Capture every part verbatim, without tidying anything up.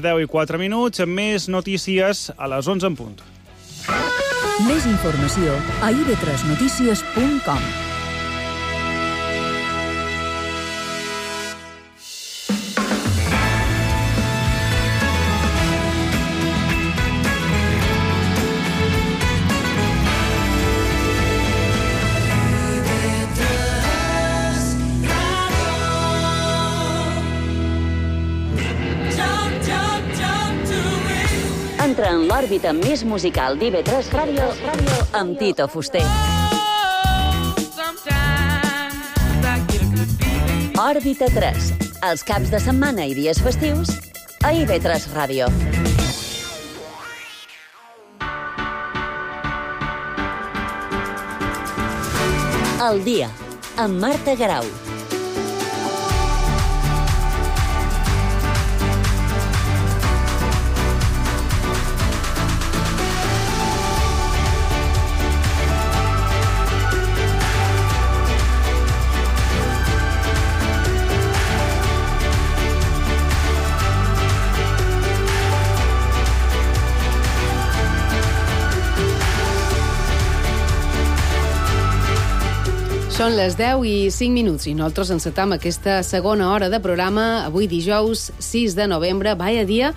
deu i quatre minuts, amb més notícies a les onze en punt. Més informació a i ve tres notícies punt com. Entra en l'òrbita més musical d'I ve tres Ràdio amb Tito Fuster. Òrbita tres, els caps de setmana i dies festius a I ve tres Ràdio. El dia, amb Marta Garau. Són les deu i cinc minuts i nosaltres encetam aquesta segona hora de programa avui dijous sis de novembre. Vaya dia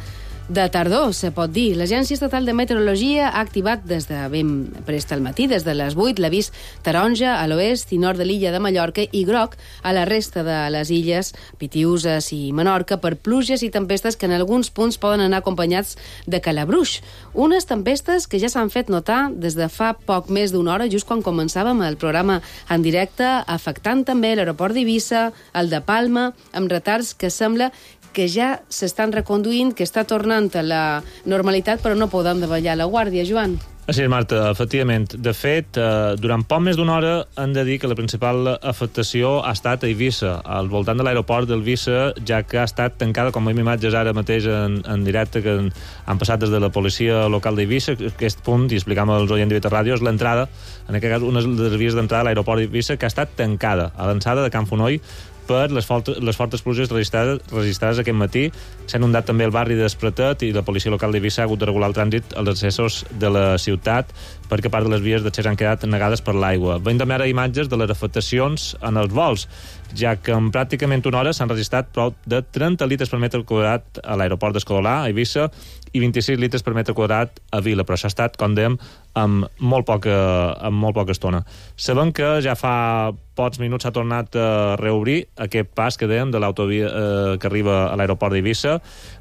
de tardor, se pot dir. L'Agència Estatal de Meteorologia ha activat des de ben prest al matí, des de les vuit, l'avís taronja a l'oest i nord de l'illa de Mallorca i groc a la resta de les illes Pitiüses i Menorca per pluges i tempestes que en alguns punts poden anar acompanyats de calabruix. Unes tempestes que ja s'han fet notar des de fa poc més d'una hora, just quan començàvem el programa en directe, afectant també l'aeroport d'Eivissa, el de Palma, amb retards que sembla que ja s'estan reconduint, que està tornant a la normalitat, però no podem davallar la guàrdia, Joan. Així és, Marta, efectivament. De fet, eh, durant poc més d'una hora hem de dir que la principal afectació ha estat a Eivissa, al voltant de l'aeroport d'Eivissa, ja que ha estat tancada, com veiem imatges ara mateix en, en directe, que han, han passat des de la policia local d'Eivissa. Aquest punt, i explicam als oients d'I ve tres Ràdio, és l'entrada, en aquest cas, una de les vies d'entrada a l'aeroport d'Eivissa, que ha estat tancada a l'ençada de Can Fonoll per les, fortes, les fortes pluges registrades, registrades aquest matí. S'ha inundat també el barri d'Espretet i la policia local d'Eivissa ha hagut de regular el trànsit als accessos de la ciutat perquè part de les vies d'accés han quedat negades per l'aigua. Veiem també ara imatges de les afectacions en els vols, ja que en pràcticament una hora s'han registrat prop de trenta litres per metre quadrat a l'aeroport d'Escodolà, a Eivissa, i vint-i-sis litres per metre quadrat a Vila, però això ha estat, com dèiem, amb molt poca, amb molt poca estona. Sabem que ja fa pocs minuts s'ha tornat a reobrir aquest pas que dèiem de l'autovia eh, que arriba a l'aeroport d'Eivissa,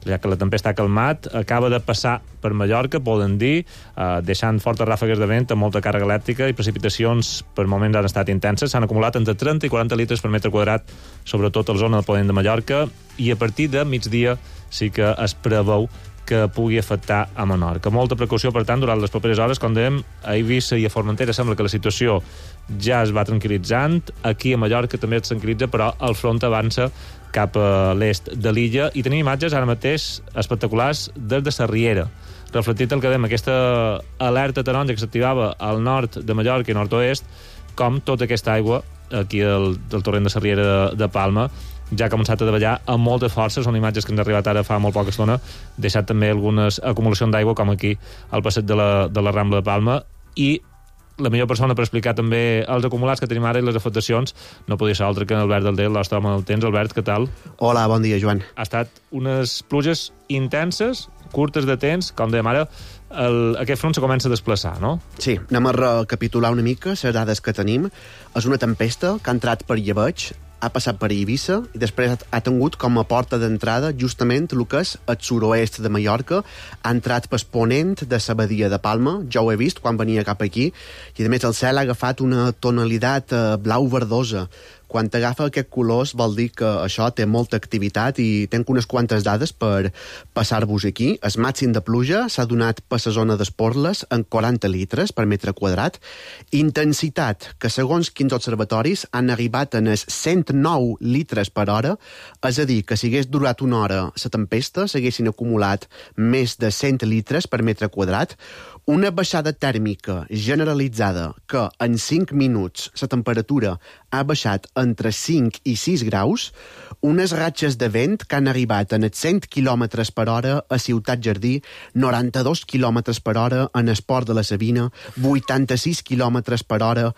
ja que la tempesta ha calmat, acaba de passar per Mallorca, poden dir, eh, deixant fortes ràfegues de vent amb molta càrrega elèctrica i precipitacions per moments han estat intenses. S'han acumulat entre trenta i quaranta litres per metre quadrat, sobretot a la zona de ponent de Mallorca, i a partir de migdia sí que es preveu que pugui afectar a Menorca. Molta precaució, per tant, durant les properes hores. Com dèiem, a Eivissa i a Formentera sembla que la situació ja es va tranquil·litzant. Aquí a Mallorca també es tranquil·litza, però el front avança cap a l'est de l'illa i tenim imatges ara mateix espectaculars des de Sarriera. Reflectit el que dèiem, aquesta alerta taronja que s'activava al nord de Mallorca i nord-oest, com tota aquesta aigua aquí del, del torrent de Sarriera de, de Palma ja ha començat a davallar amb molta força. Són imatges que ens han arribat ara fa molt poca estona, deixat també algunes acumulacions d'aigua, com aquí al passeig de la, de la Rambla de Palma, i la millor persona per explicar també els acumulats que tenim ara i les afectacions no podia ser altre que Albert Daldé, el nostre home del temps. Albert, què tal? Hola, bon dia, Joan. Ha estat unes pluges intenses, curtes de temps, com dèiem ara, el, aquest front se comença a desplaçar, no? Sí, anem a recapitular una mica les dades que tenim. És una tempesta que ha entrat per Llebeig, ha passat per Eivissa i després ha tingut com a porta d'entrada justament el que és el suroest de Mallorca. Ha entrat per ponent de la badia de Palma, jo ho he vist quan venia cap aquí, i a més el cel ha agafat una tonalitat blau verdosa. Quan t'agafa aquest colors vol dir que això té molta activitat i tenc unes quantes dades per passar-vos aquí. El màxim de pluja s'ha donat per la zona d'Esporles en quaranta litres per metre quadrat. Intensitat, que segons quins observatoris han arribat en els cent nou litres per hora, és a dir, que si hagués durat una hora la tempesta s'haguessin acumulat més de cent litres per metre quadrat. Una baixada tèrmica generalitzada que en cinc minuts la temperatura ha baixat entre cinc i sis graus, unes ratxes de vent que han arribat en els cent quilòmetres per hora a Ciutat Jardí, noranta-dos quilòmetres per hora en Esport de la Sabina, vuitanta-sis quilòmetres per hora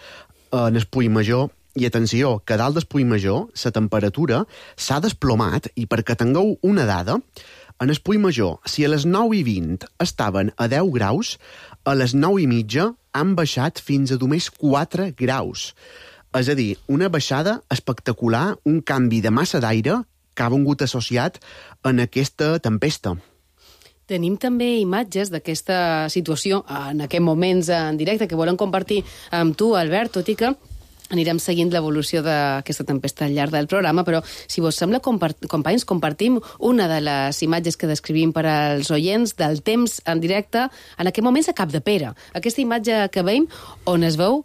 en el Puigmajor. I atenció, que dalt del Puigmajor la temperatura s'ha desplomat, i perquè tingueu una dada, en el Puigmajor, si a les nou i vint estaven a deu graus, a les nou i mitja han baixat fins a només quatre graus. És a dir, una baixada espectacular, un canvi de massa d'aire que ha vingut associat en aquesta tempesta. Tenim també imatges d'aquesta situació en aquests moments en directe que volem compartir amb tu, Albert, tot i que anirem seguint l'evolució d'aquesta tempesta al llarg del programa, però si vos sembla, companys, compartim una de les imatges que descrivim per als oients del temps en directe en aquest moments a Capdepera. Aquesta imatge que veiem on es veu,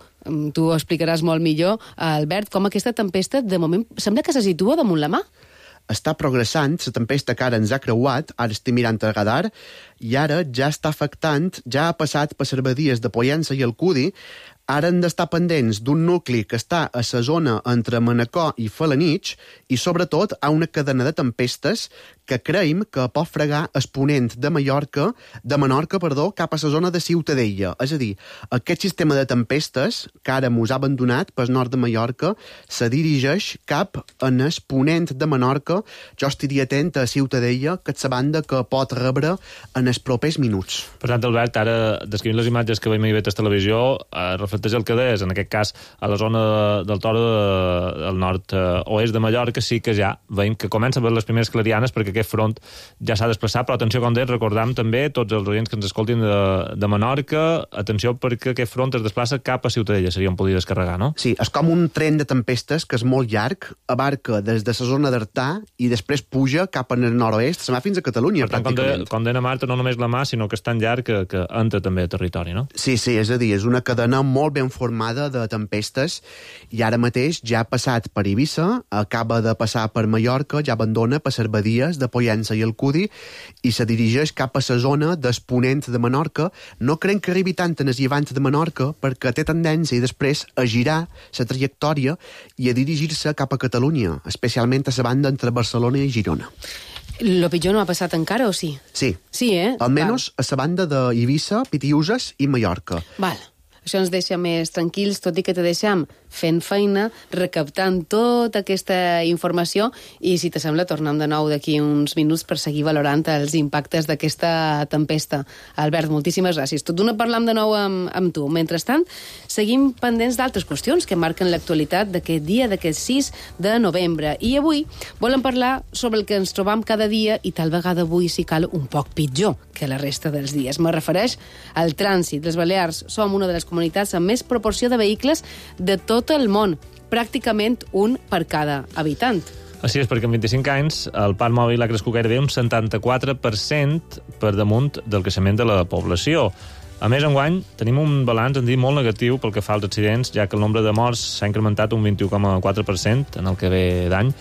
tu ho explicaràs molt millor, Albert, com aquesta tempesta de moment sembla que se situa damunt la mà. Està progressant, la tempesta que ara ens ha creuat, ara estic mirant el radar, i ara ja està afectant, ja ha passat per les badies de Pollença i Alcúdia. Ara hem d'estar pendents d'un nucli que està a la zona entre Manacor i Felanitx i, sobretot, a una cadena de tempestes que creiem que pot fregar el ponent de Mallorca, de Menorca, perdó, cap a la zona de Ciutadella. És a dir, aquest sistema de tempestes que ara mos ha abandonat pel nord de Mallorca se dirigeix cap en el ponent de Menorca. Jo estiria atent a Ciutadella, que és la banda que pot rebre en els propers minuts. Per tant, Albert, ara descrivint les imatges que veiem a I V tres Televisió, eh, reflecteix el que deies, en aquest cas, a la zona del Toro del nord-oest de Mallorca, sí que ja veiem que comença a veure les primeres clarianes perquè aquest front ja s'ha desplaçat, però atenció, com deies, recordam també, tots els oients que ens escoltin de, de Menorca, atenció perquè aquest front es desplaça cap a Ciutadella, seria on podia descarregar, no? Sí, és com un tren de tempestes que és molt llarg, abarca des de la zona d'Artà i després puja cap en el nord-oest, se va fins a Catalunya, per tant, pràcticament. Com deia Marta, no només la mà, sinó que és tan llarg que, que entra també a territori, no? Sí, sí, és a dir, és una cadena molt ben formada de tempestes i ara mateix ja ha passat per Eivissa, acaba de passar per Mallorca, ja abandona per les badies de Pollença i Alcúdia i se dirigeix cap a la zona d'Exponent de Menorca. No creiem que arribi tant en el llevant de Menorca perquè té tendència i després a girar la trajectòria i a dirigir-se cap a Catalunya, especialment a la banda entre Barcelona i Girona. Lo pitjor no ha passat encara, o sí? Sí. Sí, eh? Almenys a la banda d'Eivissa, Pitiüses i Mallorca. Val. Això ens deixa més tranquils, tot i que te deixem fent feina, recaptant tota aquesta informació i, si te sembla, tornem de nou d'aquí uns minuts per seguir valorant els impactes d'aquesta tempesta. Albert, moltíssimes gràcies. Tot d'una parlam de nou amb, amb tu. Mentrestant, seguim pendents d'altres qüestions que marquen l'actualitat d'aquest dia, d'aquest sis de novembre. I avui volem parlar sobre el que ens trobam cada dia i tal vegada avui, si cal, un poc pitjor que la resta dels dies. Me refereix al trànsit. Les Balears som una de les comunitats amb més proporció de vehicles de tot el món, pràcticament un per cada habitant. Així és, perquè en vint-i-cinc anys el parc mòbil ha crescut gairebé un setanta-quatre per cent per damunt del creixement de la població. A més, enguany, tenim un balanç, en dir, molt negatiu pel que fa als accidents, ja que el nombre de morts s'ha incrementat un vint-i-u coma quatre per cent en el que ve d'any,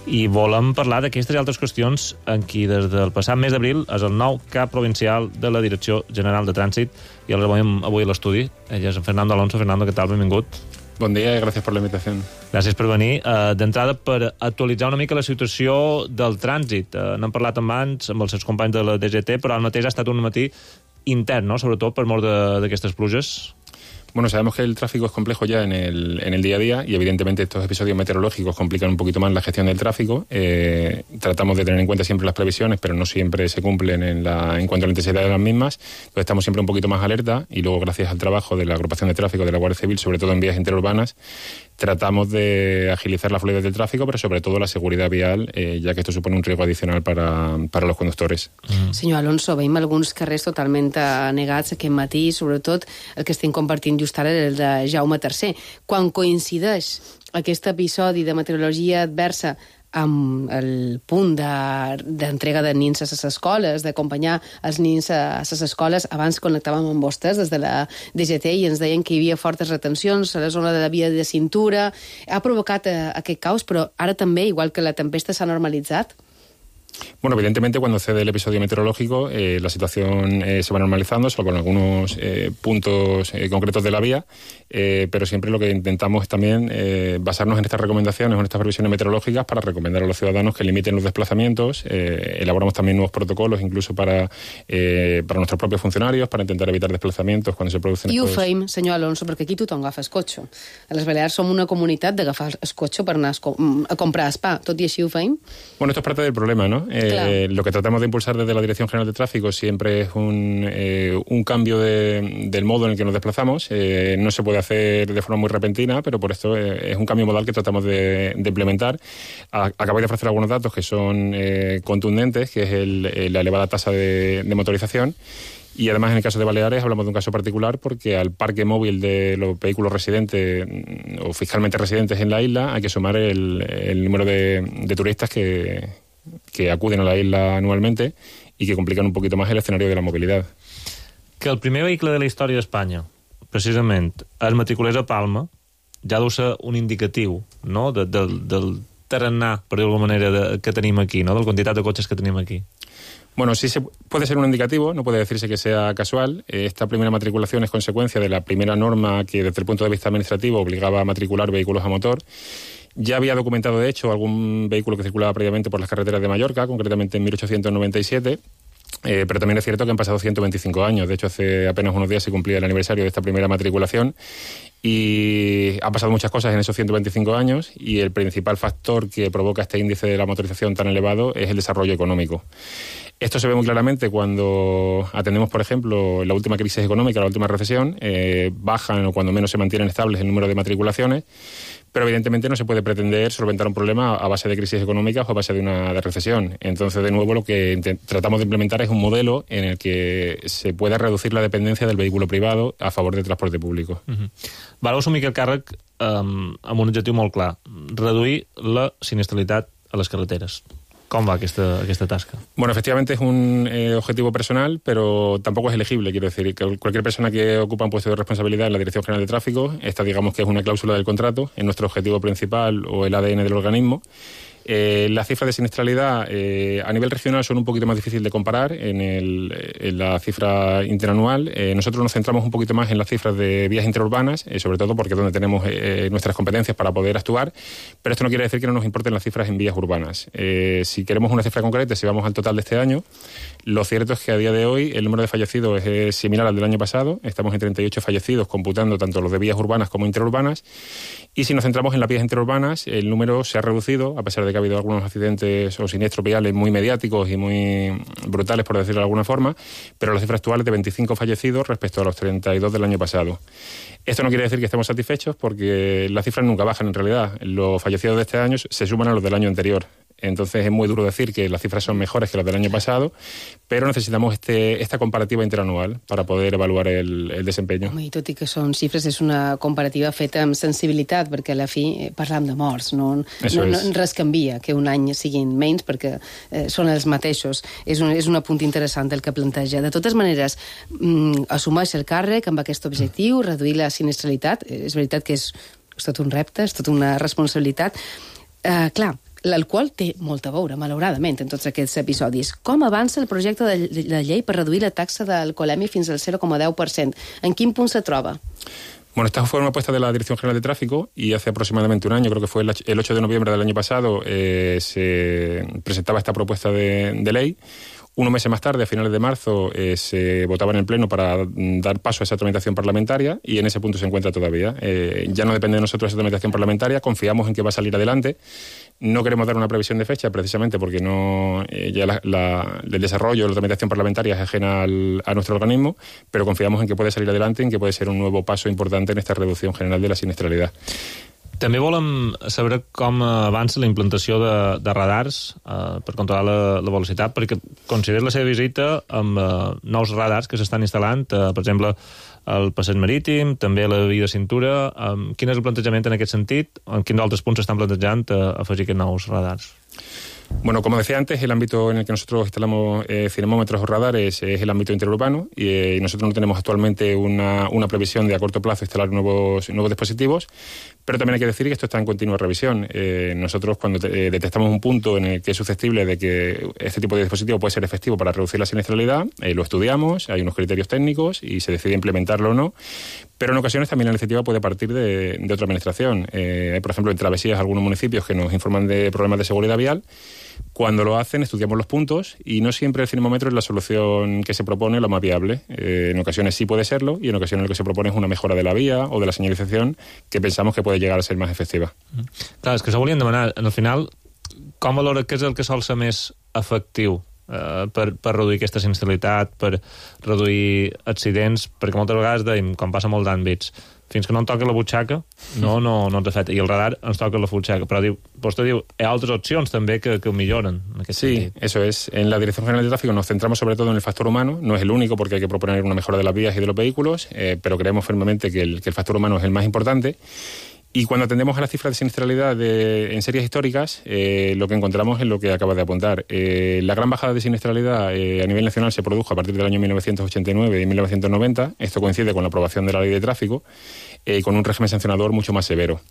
i volem parlar d'aquestes i altres qüestions en qui des del passat mes d'abril és el nou cap provincial de la Direcció General de Trànsit i el rebem avui a l'estudi. Ell és en Fernando Alonso. Fernando, què tal? Benvingut. Bon dia i gràcies per la invitació. Gràcies per venir. Uh, D'entrada, per actualitzar una mica la situació del trànsit. Uh, N'hem parlat abans amb els seus companys de la D G T, però al mateix ha estat un matí intern, ¿no? Sobretot per mort d'aquestes pluges. Bueno, sabemos que el tráfico es complejo ya en el, en el día a día y evidentemente estos episodios meteorológicos complican un poquito más la gestión del tráfico. Eh, tratamos de tener en cuenta siempre las previsiones, pero no siempre se cumplen en, la, en cuanto a la intensidad de las mismas. Entonces estamos siempre un poquito más alerta y luego, gracias al trabajo de la agrupación de tráfico de la Guardia Civil, sobre todo en vías interurbanas, tratamos de agilizar la fluidez del tráfico, pero sobre todo la seguridad vial, eh, ya que esto supone un riesgo adicional para, para los conductores. Mm. Senyor Alonso, veiem alguns carrers totalment anegats aquest matí, sobretot el que estem compartint just ara, el de Jaume tercer. Quan coincideix aquest episodi de meteorologia adversa amb el punt d'entrega de, de nins a les escoles, d'acompanyar els nins a les escoles, abans connectàvem amb vostès des de la D G T i ens deien que hi havia fortes retencions a la zona de la via de cintura. Ha provocat eh, aquest caos, però ara també, igual que la tempesta s'ha normalitzat? Bueno, evidentemente cuando cede el episodio meteorológico eh, la situación eh, se va normalizando, solo con algunos eh, puntos eh, concretos de la vía, eh, pero siempre lo que intentamos es también eh, basarnos en estas recomendaciones o en estas previsiones meteorológicas para recomendar a los ciudadanos que limiten los desplazamientos. Eh, elaboramos también nuevos protocolos, incluso para, eh, para nuestros propios funcionarios, para intentar evitar desplazamientos cuando se producen... I ho estos... feim, senyor Alonso, perquè aquí tothom agafa el cotxe. A les Balears som una comunitat d'agafar el cotxe per anar a comprar spa. Tot i així ho feim? Bueno, esto es parte del problema, ¿no? Eh, lo que tratamos de impulsar desde la Dirección General de Tráfico siempre es un, eh, un cambio de, del modo en el que nos desplazamos. Eh, no se puede hacer de forma muy repentina, pero por esto eh, es un cambio modal que tratamos de, de implementar. A, acabáis de ofrecer algunos datos que son eh, contundentes, que es el, el, la elevada tasa de, de motorización. Y además en el caso de Baleares hablamos de un caso particular porque al parque móvil de los vehículos residentes o fiscalmente residentes en la isla hay que sumar el, el número de, de turistas que, que acuden a la isla anualmente y que complican un poquito más el escenario de la movilidad. Que el primer vehicle de la història d'Espanya, precisament, es matriculés a Palma, ja deu ser un indicatiu, no?, de, de, del tarannà, per dir d'alguna manera, de, que tenim aquí, no?, de la quantitat de cotxes que tenim aquí. Bueno, sí se puede ser un indicativo, no puede decirse que sea casual. Esta primera matriculación es consecuencia de la primera norma que desde el punto de vista administrativo obligaba a matricular vehículos a motor. Ya había documentado, de hecho, algún vehículo que circulaba previamente por las carreteras de Mallorca, concretamente en mil ochocientos noventa y siete, eh, pero también es cierto que han pasado ciento veinticinco años. De hecho, hace apenas unos días se cumplía el aniversario de esta primera matriculación y han pasado muchas cosas en esos ciento veinticinco años y el principal factor que provoca este índice de la motorización tan elevado es el desarrollo económico. Esto se ve muy claramente cuando atendemos, por ejemplo, la última crisis económica, la última recesión, eh, bajan o cuando menos se mantienen estables el número de matriculaciones, pero evidentemente no se puede pretender solventar un problema a base de crisis económicas o a base de una de recesión. Entonces, de nuevo, lo que tratamos de implementar es un modelo en el que se pueda reducir la dependencia del vehículo privado a favor del transporte público. Uh-huh. Vau assumir aquest càrrec um, amb un objectiu molt clar, reduir la sinistralitat a les carreteres. ¿Cómo va esta, esta tasca? Bueno, efectivamente es un eh, objetivo personal, pero tampoco es elegible. Quiero decir, que cualquier persona que ocupa un puesto de responsabilidad en la Dirección General de Tráfico, esta digamos que es una cláusula del contrato, es nuestro objetivo principal o el A D N del organismo. Eh, las cifras de siniestralidad eh, a nivel regional son un poquito más difíciles de comparar en, el, en la cifra interanual. Eh, nosotros nos centramos un poquito más en las cifras de vías interurbanas, eh, sobre todo porque es donde tenemos eh, nuestras competencias para poder actuar, pero esto no quiere decir que no nos importen las cifras en vías urbanas. Eh, si queremos una cifra concreta, si vamos al total de este año, lo cierto es que a día de hoy el número de fallecidos es similar al del año pasado. Estamos en treinta y ocho fallecidos, computando tanto los de vías urbanas como interurbanas. Y si nos centramos en las vías interurbanas, el número se ha reducido, a pesar de que ha habido algunos accidentes o siniestros viales muy mediáticos y muy brutales, por decirlo de alguna forma, pero la cifra actual es de veinticinco fallecidos respecto a los treinta y dos del año pasado. Esto no quiere decir que estemos satisfechos, porque las cifras nunca bajan en realidad. Los fallecidos de este año se suman a los del año anterior. Entonces es muy duro decir que las cifras son mejores que las del año pasado, però necessitamos este, esta comparativa interanual para poder evaluar el, el desempeño. Home, i tot i que són xifres, és una comparativa feta amb sensibilitat, perquè a la fi parlam de morts, no, no, no res canvia que un any siguin menys, perquè eh, són els mateixos. És un, és un apunt interessant el que planteja. De totes maneres, mm, assumeix el càrrec amb aquest objectiu, reduir la sinistralitat. És veritat que és, és tot un repte, és tota una responsabilitat. Eh, clar, l'alcohol té molt a veure, malauradament, en tots aquests episodis. Com avança el projecte de la llei per reduir la taxa d'alcoholèmia fins al cero coma deu per cent? En quin punt se troba? Bueno, esta fue una apuesta de la Dirección General de Tráfico y hace aproximadamente un año, creo que fue el ocho de noviembre del año pasado, eh, se presentaba esta propuesta de, de ley. Unos meses más tarde, a finales de marzo, eh, se votaba en el Pleno para dar paso a esa tramitación parlamentaria y en ese punto se encuentra todavía. Eh, ya no depende de nosotros esa tramitación parlamentaria, confiamos en que va a salir adelante. No queremos dar una previsión de fecha precisamente porque no eh, ya la, la, el desarrollo de la tramitación parlamentaria es ajena al, a nuestro organismo, pero confiamos en que puede salir adelante y en que puede ser un nuevo paso importante en esta reducción general de la siniestralidad. També volem saber com avança la implantació de, de radars eh, per controlar la, la velocitat, perquè considera la seva visita amb eh, nous radars que s'estan instal·lant, eh, per exemple, al passeig marítim, també a la via de cintura. Eh, quin és el plantejament en aquest sentit? En quins altres punts s'estan plantejant eh, afegir aquests nous radars? Bueno, como decía antes, el ámbito en el que nosotros instalamos eh, cinemómetros o radares es el ámbito interurbano y, eh, y nosotros no tenemos actualmente una, una previsión de a corto plazo instalar nuevos, nuevos dispositivos, Pero también hay que decir que esto está en continua revisión. Eh, nosotros cuando te, eh, detectamos un punto en el que es susceptible de que este tipo de dispositivo puede ser efectivo para reducir la siniestralidad, eh, lo estudiamos, hay unos criterios técnicos y se decide implementarlo o no. Pero en ocasiones también la iniciativa puede partir de, de otra administración. Eh, hay, por ejemplo, en travesías algunos municipios que nos informan de problemas de seguridad vial. Cuando lo hacen, estudiamos los puntos y no siempre el cinemómetro es la solución que se propone la más viable. Eh, en ocasiones sí puede serlo y en ocasiones lo que se propone es una mejora de la vía o de la señalización que pensamos que puede llegar a ser más efectiva. Clar, és que s'ho volien demanar. Al final, com valora què és el que sol ser més efectiu eh, per, per reduir aquesta sinistralitat, per reduir accidents? Perquè moltes vegades deim, quan passa molt d'àmbits, fins que no em toca la butxaca, no, no, no ens afecta. I el radar ens toca la butxaca. Però diu, vostè diu, hi ha altres opcions també que, que ho milloren. En aquest sí, sentit. Eso es. En la Dirección General de Tráfico nos centramos sobre todo en el factor humano. No es el único porque hay que proponer una mejora de las vías y de los vehículos, eh, pero creemos firmemente que el, que el factor humano es el más importante. Y cuando atendemos a las cifras de siniestralidad de, en series históricas, eh, lo que encontramos es lo que acabas de apuntar. Eh, la gran bajada de siniestralidad eh, a nivel nacional se produjo a partir del año mil novecientos ochenta y nueve y mil novecientos noventa. Esto coincide con la aprobación de la Ley de Tráfico, eh, con un régimen sancionador mucho más severo.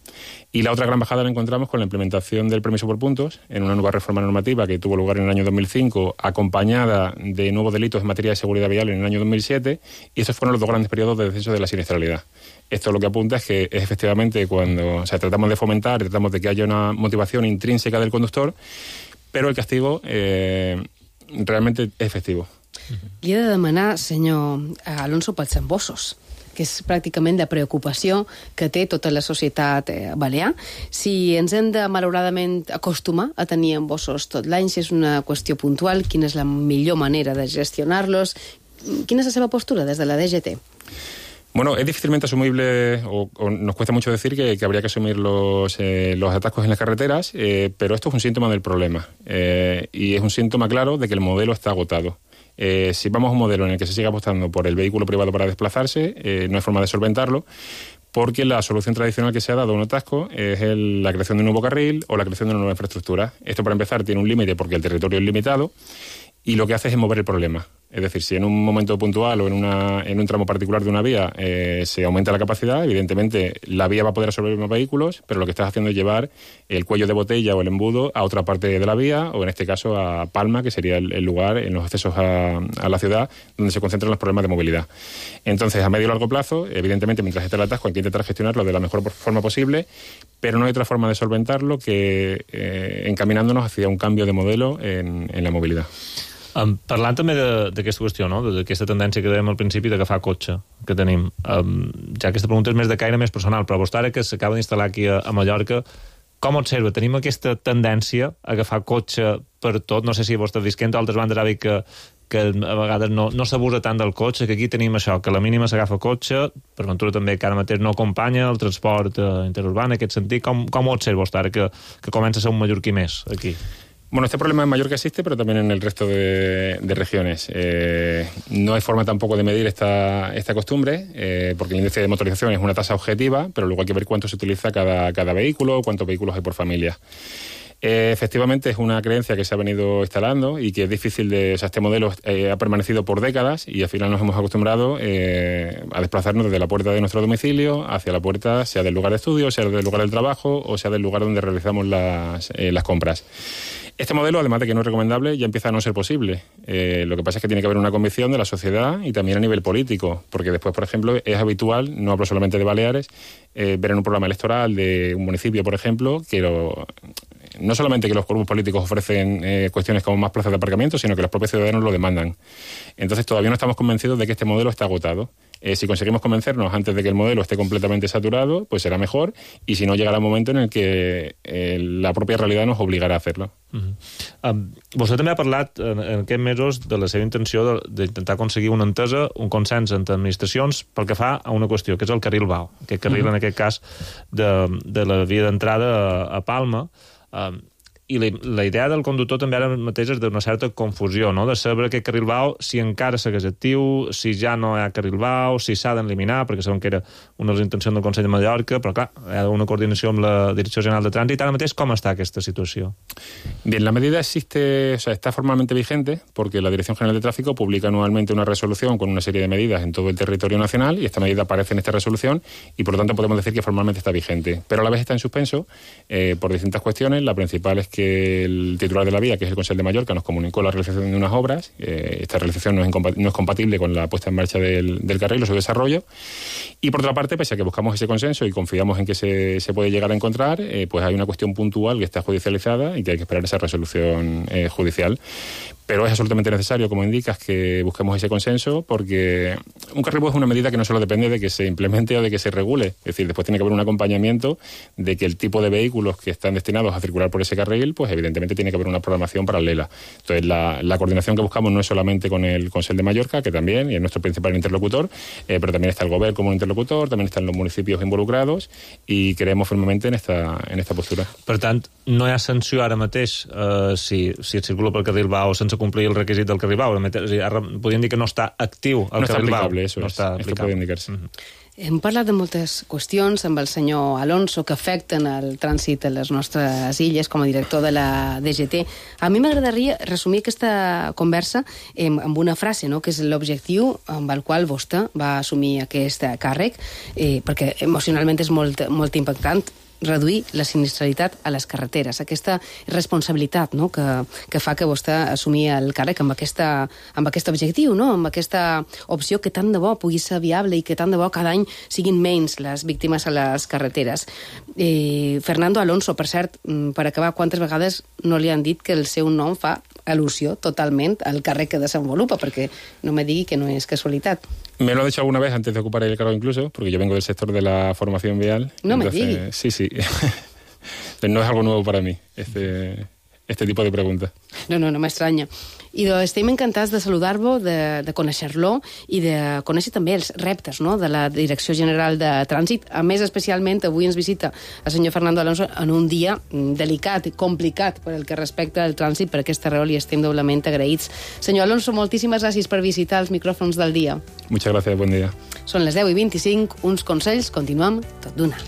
Y la otra gran bajada la encontramos con la implementación del permiso por puntos, en una nueva reforma normativa que tuvo lugar en el año dos mil cinco, acompañada de nuevos delitos en materia de seguridad vial en el año dos mil siete, y estos fueron los dos grandes periodos de descenso de la siniestralidad. Esto lo que apunta es que es efectivamente cuando, o sea, tratamos de fomentar, tratamos de que haya una motivación intrínseca del conductor, pero el castigo eh, realmente es efectivo. Li he de demanar, senyor Alonso, pels embossos, que és pràcticament la preocupació que té tota la societat eh, balear. Si ens hem de, malauradament, acostumar a tenir embossos tot l'any, si és una qüestió puntual, quina és la millor manera de gestionar-los, quina és la seva postura des de la D G T? Bueno, es difícilmente asumible, o, o nos cuesta mucho decir que, que habría que asumir los, eh, los atascos en las carreteras, eh, pero esto es un síntoma del problema. Eh, y es un síntoma claro de que el modelo está agotado. Eh, si vamos a un modelo en el que se sigue apostando por el vehículo privado para desplazarse, eh, no hay forma de solventarlo, porque la solución tradicional que se ha dado a un atasco es el, la creación de un nuevo carril o la creación de una nueva infraestructura. Esto, para empezar, tiene un límite porque el territorio es limitado y lo que hace es mover el problema. Es decir, si en un momento puntual o en, una, en un tramo particular de una vía eh, se aumenta la capacidad, evidentemente la vía va a poder absorber más vehículos, pero lo que estás haciendo es llevar el cuello de botella o el embudo a otra parte de la vía, o en este caso a Palma, que sería el, el lugar en los accesos a, a la ciudad donde se concentran los problemas de movilidad. Entonces, a medio y largo plazo, evidentemente, mientras esté el atasco, hay que intentar gestionarlo de la mejor forma posible, pero no hay otra forma de solventarlo que eh, encaminándonos hacia un cambio de modelo en, en la movilidad. Um, parlant també d'aquesta qüestió, no? d'aquesta tendència que dèiem al principi d'agafar cotxe que tenim, um, ja aquesta pregunta és més de caire més personal, però vostè ara que s'acaba d'instal·lar aquí a, a Mallorca, com observa? Tenim aquesta tendència a agafar cotxe per tot? No sé si vostè visquent, altres bandes ha dit que, que a vegades no, no s'abusa tant del cotxe, que aquí tenim això, que a la mínima s'agafa cotxe, per ventura també que ara mateix no acompanya el transport eh, interurbà en aquest sentit. Com, com ho observa vostè ara que, que comença a ser un mallorquí més aquí? Bueno, este problema en Mallorca existe, pero también en el resto de, de regiones. Eh, no hay forma tampoco de medir esta, esta costumbre, eh, porque el índice de motorización es una tasa objetiva, pero luego hay que ver cuánto se utiliza cada, cada vehículo, cuántos vehículos hay por familia. Eh, efectivamente es una creencia que se ha venido instalando y que es difícil de... O sea, este modelo eh, ha permanecido por décadas y al final nos hemos acostumbrado eh, a desplazarnos desde la puerta de nuestro domicilio hacia la puerta, sea del lugar de estudio, sea del lugar del trabajo o sea del lugar donde realizamos las, eh, las compras. Este modelo, además de que no es recomendable, ya empieza a no ser posible. Eh, lo que pasa es que tiene que haber una convicción de la sociedad y también a nivel político, porque después, por ejemplo, es habitual, no hablo solamente de Baleares, eh, ver en un programa electoral de un municipio, por ejemplo, que lo, no solamente que los grupos políticos ofrecen eh, cuestiones como más plazas de aparcamiento, sino que los propios ciudadanos lo demandan. Entonces todavía no estamos convencidos de que este modelo está agotado. Eh, si conseguimos convencernos antes de que el modelo esté completamente saturado, pues será mejor, y si no, llegará un momento en el que eh, la propia realidad nos obligará a hacerlo. Uh-huh. um, vostè també ha parlat en, en aquests mesos de la seva intenció d'intentar aconseguir una entesa, un consens entre administracions pel que fa a una qüestió, que és el carril Vao, aquest carril, uh-huh. en aquest cas de, de la via d'entrada a, a Palma. Um, i la, la idea del conductor també ara mateix és d'una certa confusió, no? De saber aquest carril B A U, si encara segueix actiu, si ja no hi ha carril B A U, si s'ha d'eliminar, perquè sabem que era una de les intencions del Consell de Mallorca, però clar, hi ha una coordinació amb la Direcció General de Trànsit. Ara mateix, com està aquesta situació? Bien, la medida existe, o sea, está formalmente vigente porque la Dirección General de Tráfico publica anualmente una resolución con una serie de medidas en todo el territorio nacional y esta medida aparece en esta resolución y por lo tanto podemos decir que formalmente está vigente. Pero a la vez está en suspenso eh, por distintas cuestiones. La principal es que el titular de la vía, que es el Consell de Mallorca, nos comunicó la realización de unas obras. Eh, esta realización no es, no es compatible con la puesta en marcha del, del carril o su desarrollo. Y por otra parte, pese a que buscamos ese consenso y confiamos en que se, se puede llegar a encontrar, eh, pues hay una cuestión puntual que está judicializada y que hay que esperar esa resolución eh, judicial. Pero es absolutamente necesario, como indicas, que busquemos ese consenso, porque un carril es una medida que no solo depende de que se implemente o de que se regule. Es decir, después tiene que haber un acompañamiento de que el tipo de vehículos que están destinados a circular por ese carril, pues evidentemente tiene que haber una programación paralela. Entonces, la, la coordinación que buscamos no es solamente con el Consell de Mallorca, que también, y es nuestro principal interlocutor, eh, pero también está el Govern como un interlocutor, también están los municipios involucrados, y creemos firmemente en esta, en esta postura. Per tant, no hi ha sanció ara mateix eh, si, si es circula pel carril B A U sense complir el requisit del carril B A U. Ara podríem dir que no està actiu el no carril B A U. No està aplicable, eso no es. Està aplicable. Esto puede indicarse. Mm-hmm. Hem parlat de moltes qüestions amb el senyor Alonso que afecten el trànsit a les nostres illes com a director de la D G T. A mi m'agradaria resumir aquesta conversa amb una frase, no?, que és l'objectiu amb el qual vostè va assumir aquest càrrec, eh, perquè emocionalment és molt, molt impactant reduir la sinistralitat a les carreteres. Aquesta responsabilitat, no?, que, que fa que vostè assumir el càrrec amb, aquesta, amb aquest objectiu, no?, amb aquesta opció que tant de bo pugui ser viable i que tant de bo cada any siguin menys les víctimes a les carreteres. Eh, Fernando Alonso, per cert, per acabar, quantes vegades no li han dit que el seu nom fa al·lusió totalment al càrrec que desenvolupa, perquè no me digui que no és casualitat. Me lo ha dicho alguna vez antes de ocupar el cargo incluso, porque yo vengo del sector de la formación vial. No entonces, me digas. Sí, sí. No es algo nuevo para mí, este, este tipo de preguntas. No, no, no m'estranya. I doncs, estem encantats de saludar-lo, de, de conèixer-lo i de conèixer també els reptes, no?, de la Direcció General de Trànsit. A més, especialment, avui ens visita el senyor Fernando Alonso en un dia delicat i complicat per el que respecta al trànsit. Per aquesta raó li estem doblement agraïts. Senyor Alonso, moltíssimes gràcies per visitar els micròfons del dia. Muchas gracias, buen día. Són les deu i vint-i-cinc, uns consells, continuem tot d'una.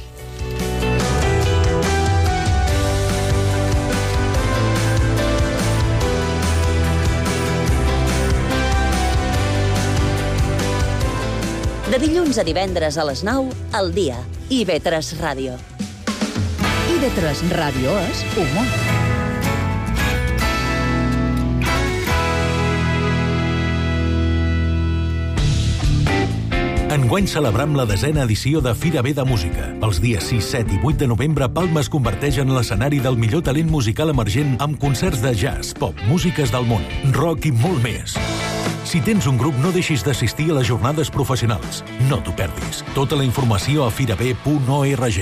De dilluns a divendres a les nou, al dia. I ve tres Ràdio. I ve tres Ràdio és humor. Enguany celebram la desena edició de Fira B de Música. Els dies sis, set i vuit de novembre, Palma es converteix en l'escenari del millor talent musical emergent amb concerts de jazz, pop, músiques del món, rock i molt més. Si tens un grup, no deixis d'assistir a les jornades professionals. No t'ho perdis. Tota la informació a firab punt org.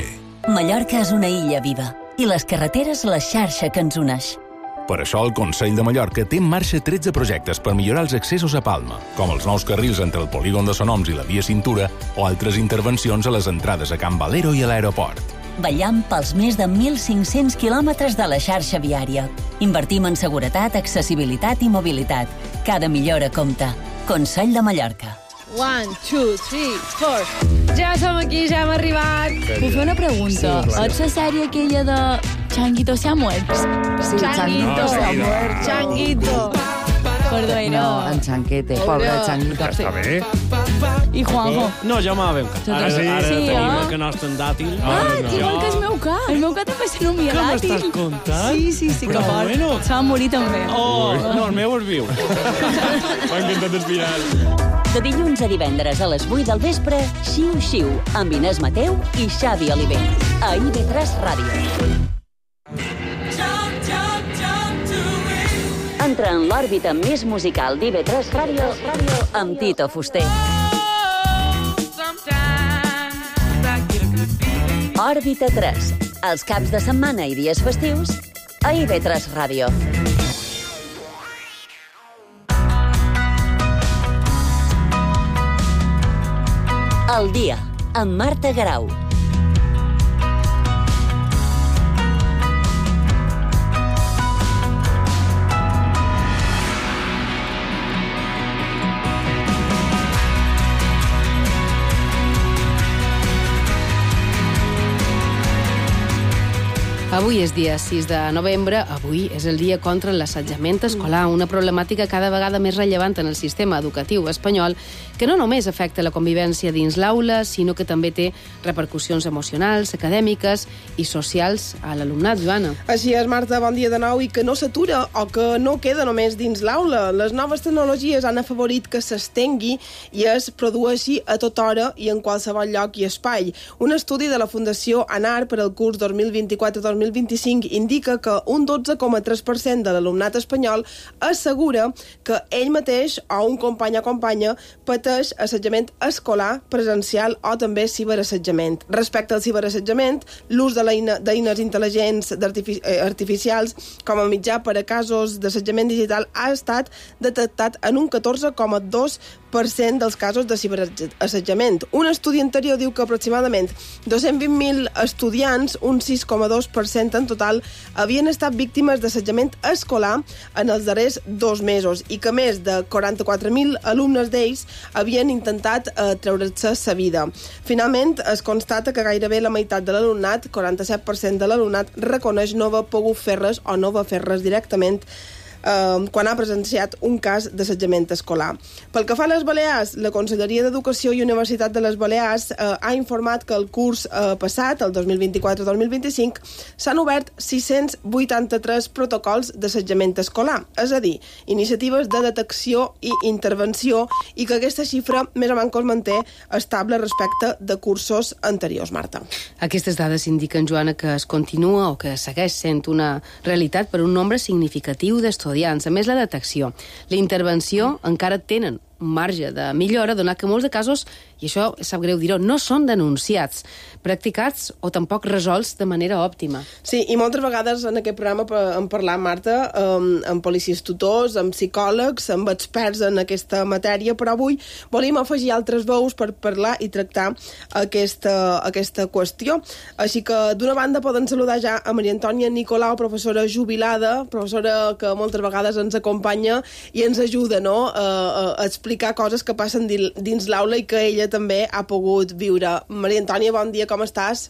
Mallorca és una illa viva i les carreteres la xarxa que ens uneix. Per això el Consell de Mallorca té en marxa tretze projectes per millorar els accessos a Palma, com els nous carrils entre el polígon de Sonoms i la via Cintura o altres intervencions a les entrades a Can Valero i a l'aeroport. Ballam pels més de mil cinc-cents quilòmetres de la xarxa viària. Invertim en seguretat, accessibilitat i mobilitat. Cada millora compta. Consell de Mallorca. One, two, three, four. Ja som aquí, ja hem arribat. Puc fer una pregunta? Sí, ets la sèrie aquella de Changuito se ha muerto? Sí, Changuito se ha muerto. Changuito. Perdó, no, en Chanquete, pobre Changuito. Està bé. I Juanjo? No, ja m'ha ben Ara sí, ara sí, tenim eh? el que nostre en dàtil. Ah, no. Igual que el meu ca. El meu ca també se nomia Què dàtil. m'estàs contant? Sí, sí, sí, que Però fort. bueno. Se va morir també. Oh, no, el meu és viu. M'ha encantat el final. De dilluns a divendres a les vuit del vespre, Xiu Xiu, amb Inés Mateu i Xavi Oliver. A I V tres Ràdio. Entra en l'òrbita més musical d'I V tres Ràdio amb Tito Fuster. Òrbita tres. Els caps de setmana i dies festius a I V tres Ràdio. El dia, amb Marta Garau. Avui és dia sis de novembre, avui és el dia contra l'assetjament escolar, una problemàtica cada vegada més rellevant en el sistema educatiu espanyol, que no només afecta la convivència dins l'aula, sinó que també té repercussions emocionals, acadèmiques i socials a l'alumnat. Joana. Així és, Marta, bon dia de nou, i que no s'atura o que no queda només dins l'aula. Les noves tecnologies han afavorit que s'estengui i es produeixi a tota hora i en qualsevol lloc i espai. Un estudi de la Fundació ANAR per al curs dos mil vint-i-quatre dos mil vint-i-cinc indica que un dotze coma tres per cent de l'alumnat espanyol assegura que ell mateix o un company o companya pateix assetjament escolar, presencial o també ciberassetjament. Respecte al ciberassetjament, l'ús de l'eines intel·ligents artifici artificials com a mitjà per a casos d'assetjament digital ha estat detectat en un catorze coma dos per cent dels casos de ciberassetjament. Un estudi anterior diu que aproximadament dos-cents vint mil estudiants, un sis coma dos per cent en total, havien estat víctimes d'assetjament escolar en els darrers dos mesos i que més de quaranta-quatre mil alumnes d'ells havien intentat eh, treure's sa vida. Finalment, es constata que gairebé la meitat de l'alumnat, quaranta-set per cent de l'alumnat, reconeix no haver pogut fer res o no haver fer res directament Uh, quan ha presenciat un cas d'assetjament escolar. Pel que fa a les Balears, la Conselleria d'Educació i Universitat de les Balears uh, ha informat que el curs uh, passat, el dos mil vint-i-quatre dos mil vint-i-cinc, s'han obert sis-cents vuitanta-tres protocols d'assetjament escolar, és a dir, iniciatives de detecció i intervenció, i que aquesta xifra més o menys es manté estable respecte de cursos anteriors, Marta. Aquestes dades indiquen, Joana, que es continua o que segueix sent una realitat per un nombre significatiu d'estudiants. A més, la detecció, la intervenció encara tenen un marge de millora, donat que molts de casos, i això sap greu dir-ho, no són denunciats, practicats o tampoc resolts de manera òptima. Sí, i moltes vegades en aquest programa hem parlat, Marta, amb, amb policies tutors, amb psicòlegs, amb experts en aquesta matèria, però avui volíem afegir altres veus per parlar i tractar aquesta, aquesta qüestió. Així que, d'una banda, poden saludar ja a Maria Antònia Nicolau, professora jubilada, professora que moltes vegades ens acompanya i ens ajuda, no?, a, a explicar coses que passen dins l'aula i que ella també ha pogut viure. Maria Antònia, bon dia, com estàs?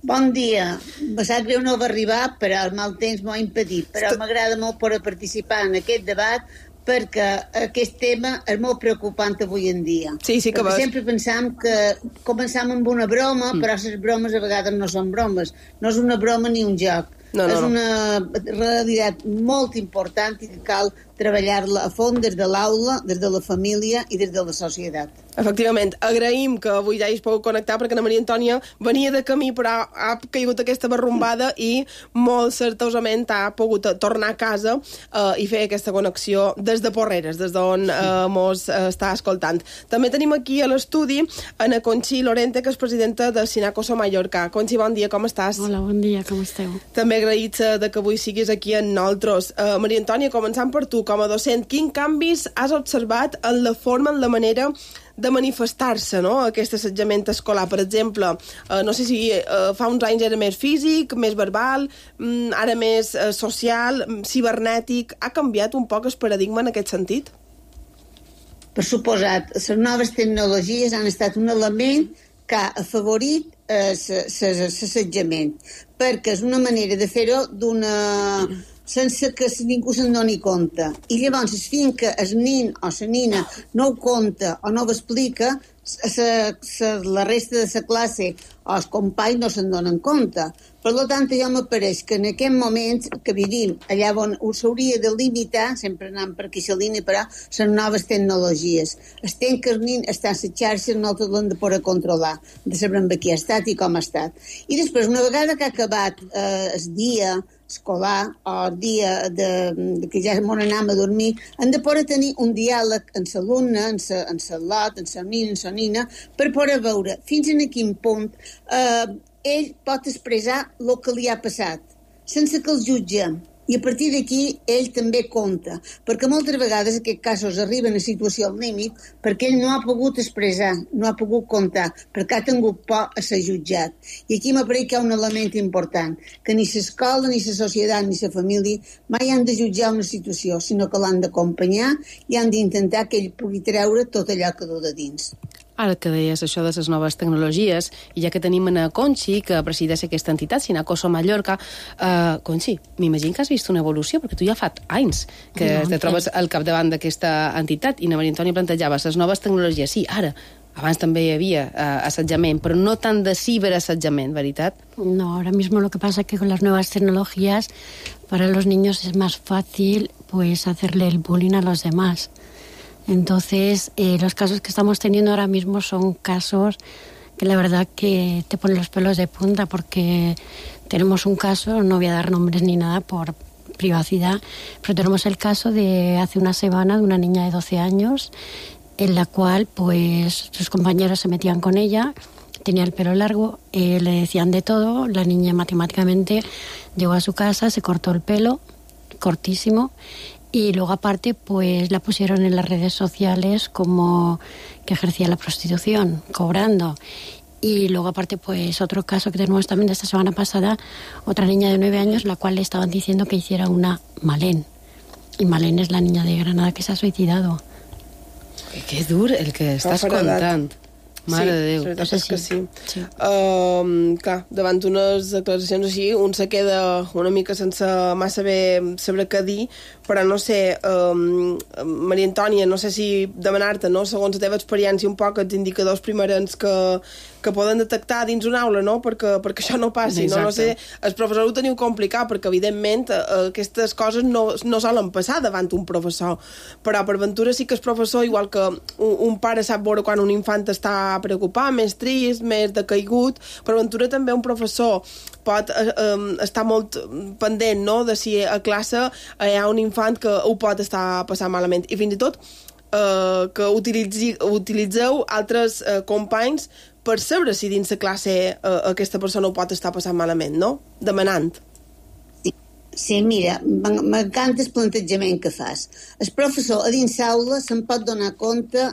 Bon dia. Me sap greu no va arribar, però el mal temps m'ho ha impedit, però m'agrada molt poder participar en aquest debat perquè aquest tema és molt preocupant avui en dia. Sí, sí que perquè vas. sempre pensam que començam amb una broma, mm. però les bromes a vegades no són bromes. No és una broma ni un joc. No, no, és una realitat molt important i que cal treballar-la a fons des de l'aula, des de la família i des de la societat. Efectivament, agraïm que avui ja hi es pogut connectar perquè la Maria Antònia venia de camí però ha caigut aquesta barrumbada i molt certosament ha pogut tornar a casa eh, i fer aquesta connexió des de Porreres, des d'on eh, mos eh, està escoltant. També tenim aquí a l'estudi Ana Conxi Lorente, que és presidenta de Sinacoso Mallorca. Conxi, bon dia, com estàs? Hola, bon dia, com esteu? També agraïts de que avui siguis aquí amb nosaltres. Uh, Maria Antònia, començant per tu, com a docent, quin canvis has observat en la forma, en la manera de manifestar-se, no?, aquest assetjament escolar? Per exemple, uh, no sé si uh, fa uns anys era més físic, més verbal, um, ara més uh, social, cibernètic. Ha canviat un poc el paradigma en aquest sentit? Per suposat, les noves tecnologies han estat un element que ha afavorit l'assetjament, perquè és una manera de fer-ho d'una sense que ningú se'n doni compte. I llavors, fins que el nin o la nina no ho compta o no ho explica, la resta de la classe o els companys no se'n donen compte. Per tant, jo m'apareix que en aquest moment que vivim, allà on s'hauria de limitar, sempre anant per aquí la línia, però les noves tecnologies. Estem que el nin està a les xarxes, nosaltres l'hem de poder controlar, de saber amb qui ha estat i com ha estat. I després, una vegada que ha acabat eh, el dia escolar o el dia de, de que ja m'on anem a dormir, hem de poder tenir un diàleg amb l'alumne, amb el lot, amb el nin, amb la nina, per poder veure fins a quin punt eh, ell pot expressar el que li ha passat, sense que el jutgem. I a partir d'aquí ell també compta, perquè moltes vegades aquests casos arriben a situació al límit perquè ell no ha pogut expressar, no ha pogut comptar, perquè ha tingut por a ser jutjat. I aquí m'apareix que hi ha un element important, que ni l'escola, ni la societat, ni la família mai han de jutjar una situació, sinó que l'han d'acompanyar i han d'intentar que ell pugui treure tot allò que du de dins. Ara que deies això de les noves tecnologies, i ja que tenim a Conxi, que presideix aquesta entitat, Sinacoso Mallorca, uh, Conxi, m'imagino que has vist una evolució, perquè tu ja fa anys que no, te trobes al capdavant d'aquesta entitat, i na Maria Antònia plantejava les noves tecnologies. Sí, ara, abans també hi havia uh, assetjament, pero no tan de ciberassetjament, ¿verdad? No, ahora mismo lo que pasa es que con las nuevas tecnologías para los niños es más fácil pues hacerle el bullying a los demás. Entonces, eh, los casos que estamos teniendo ahora mismo son casos que la verdad que te ponen los pelos de punta, porque tenemos un caso, no voy a dar nombres ni nada por privacidad, pero tenemos el caso de hace una semana de una niña de doce años en la cual pues sus compañeros se metían con ella, tenía el pelo largo, eh, le decían de todo, la niña matemáticamente llegó a su casa, se cortó el pelo, cortísimo, y luego aparte pues la pusieron en las redes sociales como que ejercía la prostitución, cobrando. Y luego aparte pues otro caso que tenemos también de esta semana pasada, otra niña de nueve años, la cual le estaban diciendo que hiciera una Malén. Y Malén es la niña de Granada que se ha suicidado. Qué dur el que estàs contant. Mare sí, de Déu. Sí, la veritat és que sí. sí. Uh, clar, davant d'unes declaracions així, un se queda una mica sense massa bé saber què dir, però no sé, um, Maria Antònia, no sé si demanar-te, no?, segons la teva experiència, un poc els indicadors primerents que, que poden detectar dins una aula, no?, perquè, perquè això no passi, no? No sé, el professor ho teniu complicat, perquè evidentment uh, aquestes coses no, no solen passar davant un professor, però per ventura sí que el professor, igual que un, un pare sap veure quan un infant està preocupat, més trist, més decaigut, per ventura també un professor pot eh, eh, estar molt pendent, no?, de si a classe hi ha un infant que ho pot estar passant malament, i fins i tot eh, que utilitzi, utilitzeu altres eh, companys per saber si dins la classe eh, aquesta persona ho pot estar passant malament, no?, demanant. Sí, mira, m'encanta el plantejament que fas. El professor a dins l'aula se'n pot donar compte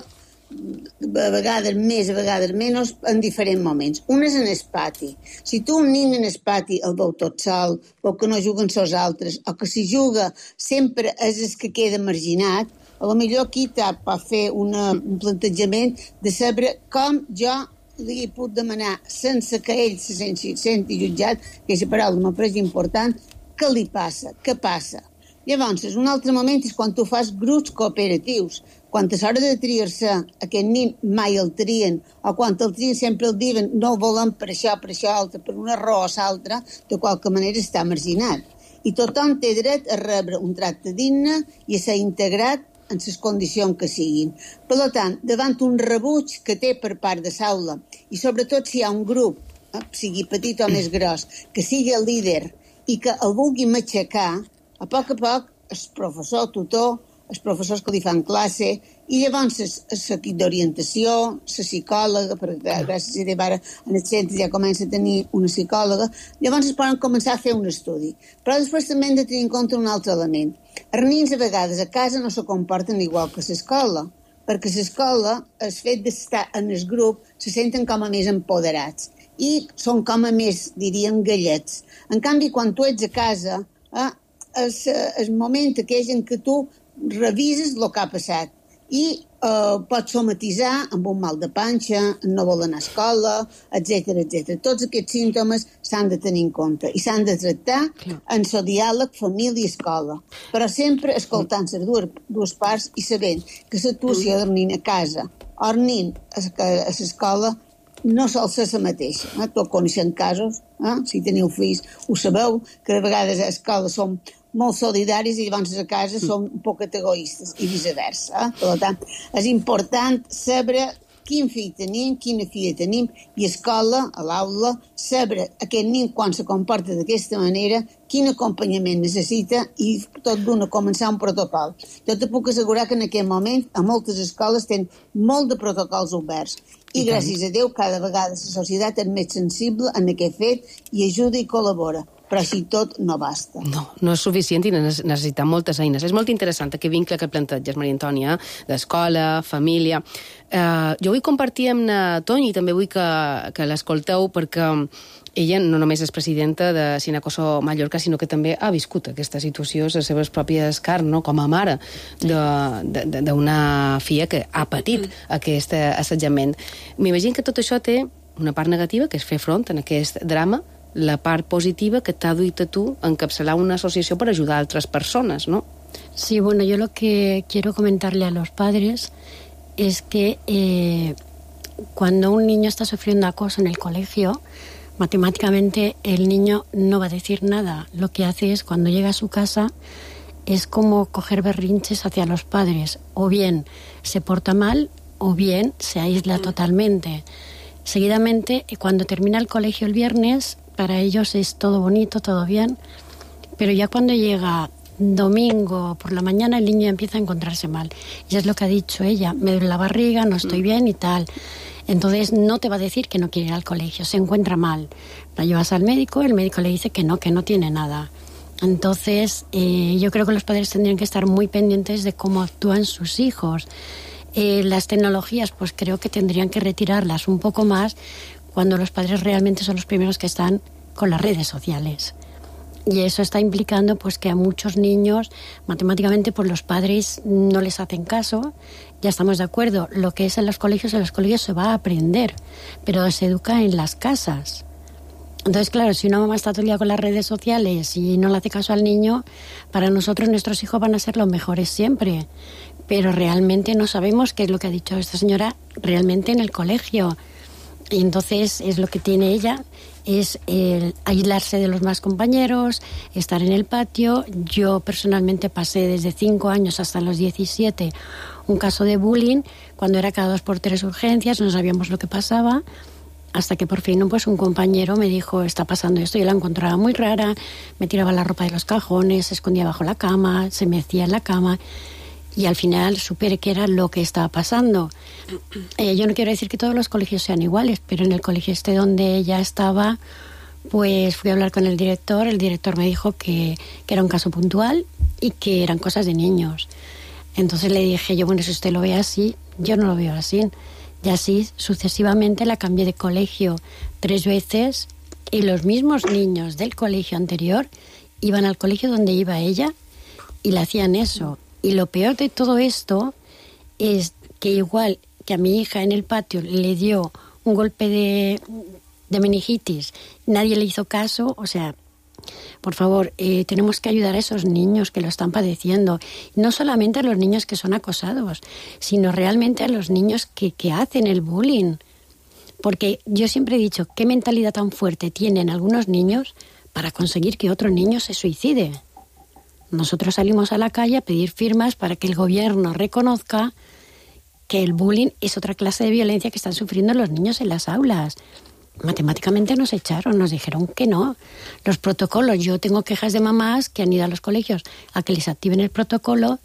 a vegades més, a vegades menys, en diferents moments. Un és en el pati. Si tu un nen en el pati el veu tot sol, veu que no juguen els altres, o que si juga sempre és el que queda marginat, a lo millor aquí pot fer una, un plantejament de saber com jo li puc demanar sense que ell se senti, senti jutjat, que aquesta paraula m'ha pres important, què li passa, què passa. Llavors, un altre moment és quan tu fas grups cooperatius, quan a l'hora de triar-se aquest nen mai el trien, o quan el trien sempre el diuen no el volem per això, per això altre, per una raó o l'altra, de qualque manera està marginat. I tothom té dret a rebre un tracte digne i a ser integrat en les condicions que siguin. Per tant, davant un rebuig que té per part de l'aula, i sobretot si hi ha un grup, eh, sigui petit o més gros, que sigui el líder i que el vulgui matxacar, a poc a poc el professor, el tutor, els professors que li fan classe, i llavors l'equip d'orientació, la psicòloga, perquè gràcies a Déu ara en el centre ja comença a tenir una psicòloga, llavors es poden començar a fer un estudi. Però després també hem de tenir en compte un altre element. Els nens a vegades a casa no se comporten igual que a l'escola, perquè a l'escola el fet d'estar en el grup se senten com a més empoderats i són com a més, diríem, gallets. En canvi, quan tu ets a casa, eh, és el moment aquell en què tu revises el que ha passat i eh, pots somatitzar amb un mal de panxa, no vol anar a escola, etcètera, etcètera. Tots aquests símptomes s'han de tenir en compte i s'han de tractar en el diàleg família-escola, però sempre escoltant les dues, dues parts i sabent que l'actuació del nen a casa o el nen a l'escola no sol ser la mateixa. Eh? Tots coneixem casos, eh? Si teniu fills ho sabeu, que de vegades a l'escola som molt solidaris i llavors a casa som un poc egoistes i viceversa. Eh? Per tant, és important saber quin fill tenim, quina filla tenim, i a escola, a l'aula, saber aquest nen quan se comporta d'aquesta manera, quin acompanyament necessita i tot d'una començar un protocol. Jo te puc assegurar que en aquest moment a moltes escoles tenen molt de protocols oberts i, I gràcies a Déu cada vegada la societat és més sensible en aquest fet i ajuda i col·labora. però així tot no basta. No, no és suficient i necessitem moltes eines. És molt interessant aquest vincle que planteges, Maria Antònia, d'escola, família. Uh, jo vull compartir amb na Toni, també vull que, que l'escolteu, perquè ella no només és presidenta de Sinacoso Mallorca, sinó que també ha viscut aquesta situació a les seves pròpies carns, no? Com a mare d'una filla que ha patit aquest assetjament. M'imagino que tot això té una part negativa, que és fer front en aquest drama, la part positiva que t'ha duit a tu encapçalar una asociación para ayudar a otras personas, ¿no? Sí, bueno, yo lo que quiero comentarle a los padres es que eh, cuando un niño está sufriendo acoso en el colegio, matemáticamente el niño no va a decir nada. Lo que hace es, cuando llega a su casa, es como coger berrinches hacia los padres. O bien se porta mal, o bien se aísla totalmente. Seguidamente, cuando termina el colegio el viernes, para ellos es todo bonito, todo bien, pero ya cuando llega domingo por la mañana el niño empieza a encontrarse mal. Y es lo que ha dicho ella, me duele la barriga, no estoy bien y tal. Entonces no te va a decir que no quiere ir al colegio, se encuentra mal. La llevas al médico, el médico le dice que no, que no tiene nada. Entonces eh, yo creo que los padres tendrían que estar muy pendientes de cómo actúan sus hijos. Eh, las tecnologías, pues creo que tendrían que retirarlas un poco más cuando los padres realmente son los primeros que están con las redes sociales. Y eso está implicando pues que a muchos niños, matemáticamente, pues los padres no les hacen caso. Ya estamos de acuerdo, lo que es en los colegios, en los colegios se va a aprender, pero se educa en las casas. Entonces, claro, si una mamá está todo el día con las redes sociales y no le hace caso al niño, para nosotros nuestros hijos van a ser los mejores siempre. Pero realmente no sabemos qué es lo que ha dicho esta señora realmente en el colegio. Y entonces es lo que tiene ella, es el aislarse de los más compañeros, estar en el patio. Yo personalmente pasé desde cinco años hasta los diecisiete un caso de bullying, cuando era cada dos por tres urgencias, no sabíamos lo que pasaba, hasta que por fin pues, un compañero me dijo, está pasando esto. Yo la encontraba muy rara, me tiraba la ropa de los cajones, se escondía bajo la cama, se mecía en la cama. Y al final supe que era lo que estaba pasando. Eh, yo no quiero decir que todos los colegios sean iguales, pero en el colegio este donde ella estaba, pues fui a hablar con el director. El director me dijo que, que era un caso puntual y que eran cosas de niños. Entonces le dije yo, bueno, si usted lo ve así, yo no lo veo así. Y así sucesivamente la cambié de colegio tres veces y los mismos niños del colegio anterior iban al colegio donde iba ella y le hacían eso. Y lo peor de todo esto es que igual que a mi hija en el patio le dio un golpe de, de meningitis, nadie le hizo caso, o sea, por favor, eh, tenemos que ayudar a esos niños que lo están padeciendo. No solamente a los niños que son acosados, sino realmente a los niños que, que hacen el bullying. Porque yo siempre he dicho, ¿qué mentalidad tan fuerte tienen algunos niños para conseguir que otro niño se suicide? Nosotros salimos a la calle a pedir firmas para que el gobierno reconozca que el bullying es otra clase de violencia que están sufriendo los niños en las aulas. Matemáticamente nos echaron, nos dijeron que no. Los protocolos, yo tengo quejas de mamás que han ido a los colegios a que les activen el protocolo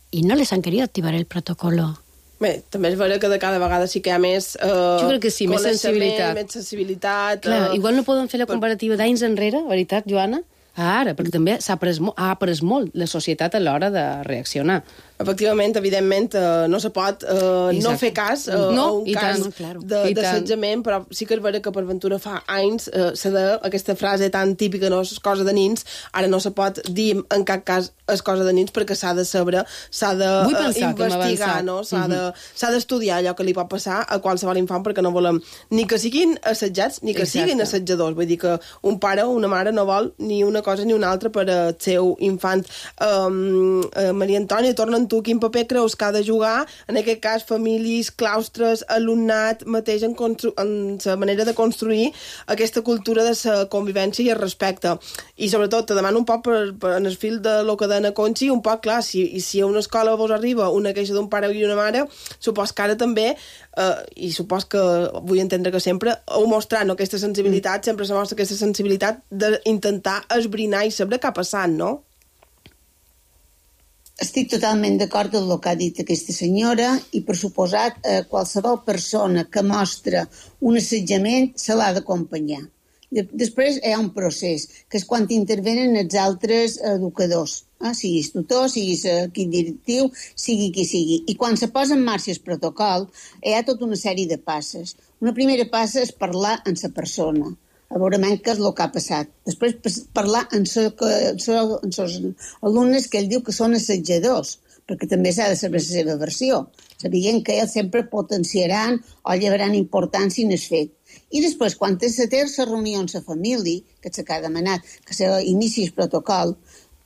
y no les han querido activar el protocolo. Bé, també és vera que de cada vegada sí que hi ha més eh, jo crec que sí, més sensibilitat. Més sensibilitat Clar, eh, igual no poden fer la comparativa d'anys enrere, veritat, Joana? Ara, perquè també s'ha après, ha après molt la societat a l'hora de reaccionar. Efectivament, evidentment, eh, no se pot eh, no fer cas eh, no, a un cas tant, claro. d'assetjament, però sí que és vera que per ventura fa anys eh, se de aquesta frase tan típica, no és cosa de nins, ara no se pot dir en cap cas és cosa de nins perquè s'ha de saber, s'ha d'investigar, no? S'ha uh-huh. d'estudiar allò que li pot passar a qualsevol infant perquè no volem ni que siguin assetjats ni que Exacte. Siguin assetjadors. Vull dir que un pare o una mare no vol ni una cosa ni una altra per al seu infant. Um, uh, Maria Antònia, torna tu, quin paper creus que ha de jugar, en aquest cas, famílies, claustres, alumnat, mateix en, constru- en la manera de construir aquesta cultura de la convivència i el respecte. I sobretot, te demano un poc per, per, en el fil de lo que deia Conchi, un poc, clar, si, i si a una escola vos arriba una queixa d'un pare i una mare, supos que ara també, eh, i supos que vull entendre que sempre, heu mostrat no, aquesta sensibilitat, mm. sempre se mostra aquesta sensibilitat d'intentar esbrinar i saber què ha passat, no? Estic totalment d'acord amb el que ha dit aquesta senyora i, per suposat, eh, qualsevol persona que mostra un assetjament se l'ha d'acompanyar. Després hi ha un procés, que és quan intervenen els altres educadors, eh? siguis tutor, siguis equip directiu, sigui qui sigui. I quan se posa en marxa el protocol, hi ha tota una sèrie de passes. Una primera passa és parlar amb la persona, a veure què és el que ha passat. Després parlar amb els alumnes que ell diu que són assetjadors, perquè també s'ha de saber la seva versió, sabent que ells sempre potenciaran o llevaran importància en el fet. I després, quan se té la reunió amb la família, que és el que ha demanat, que s'inici el protocol,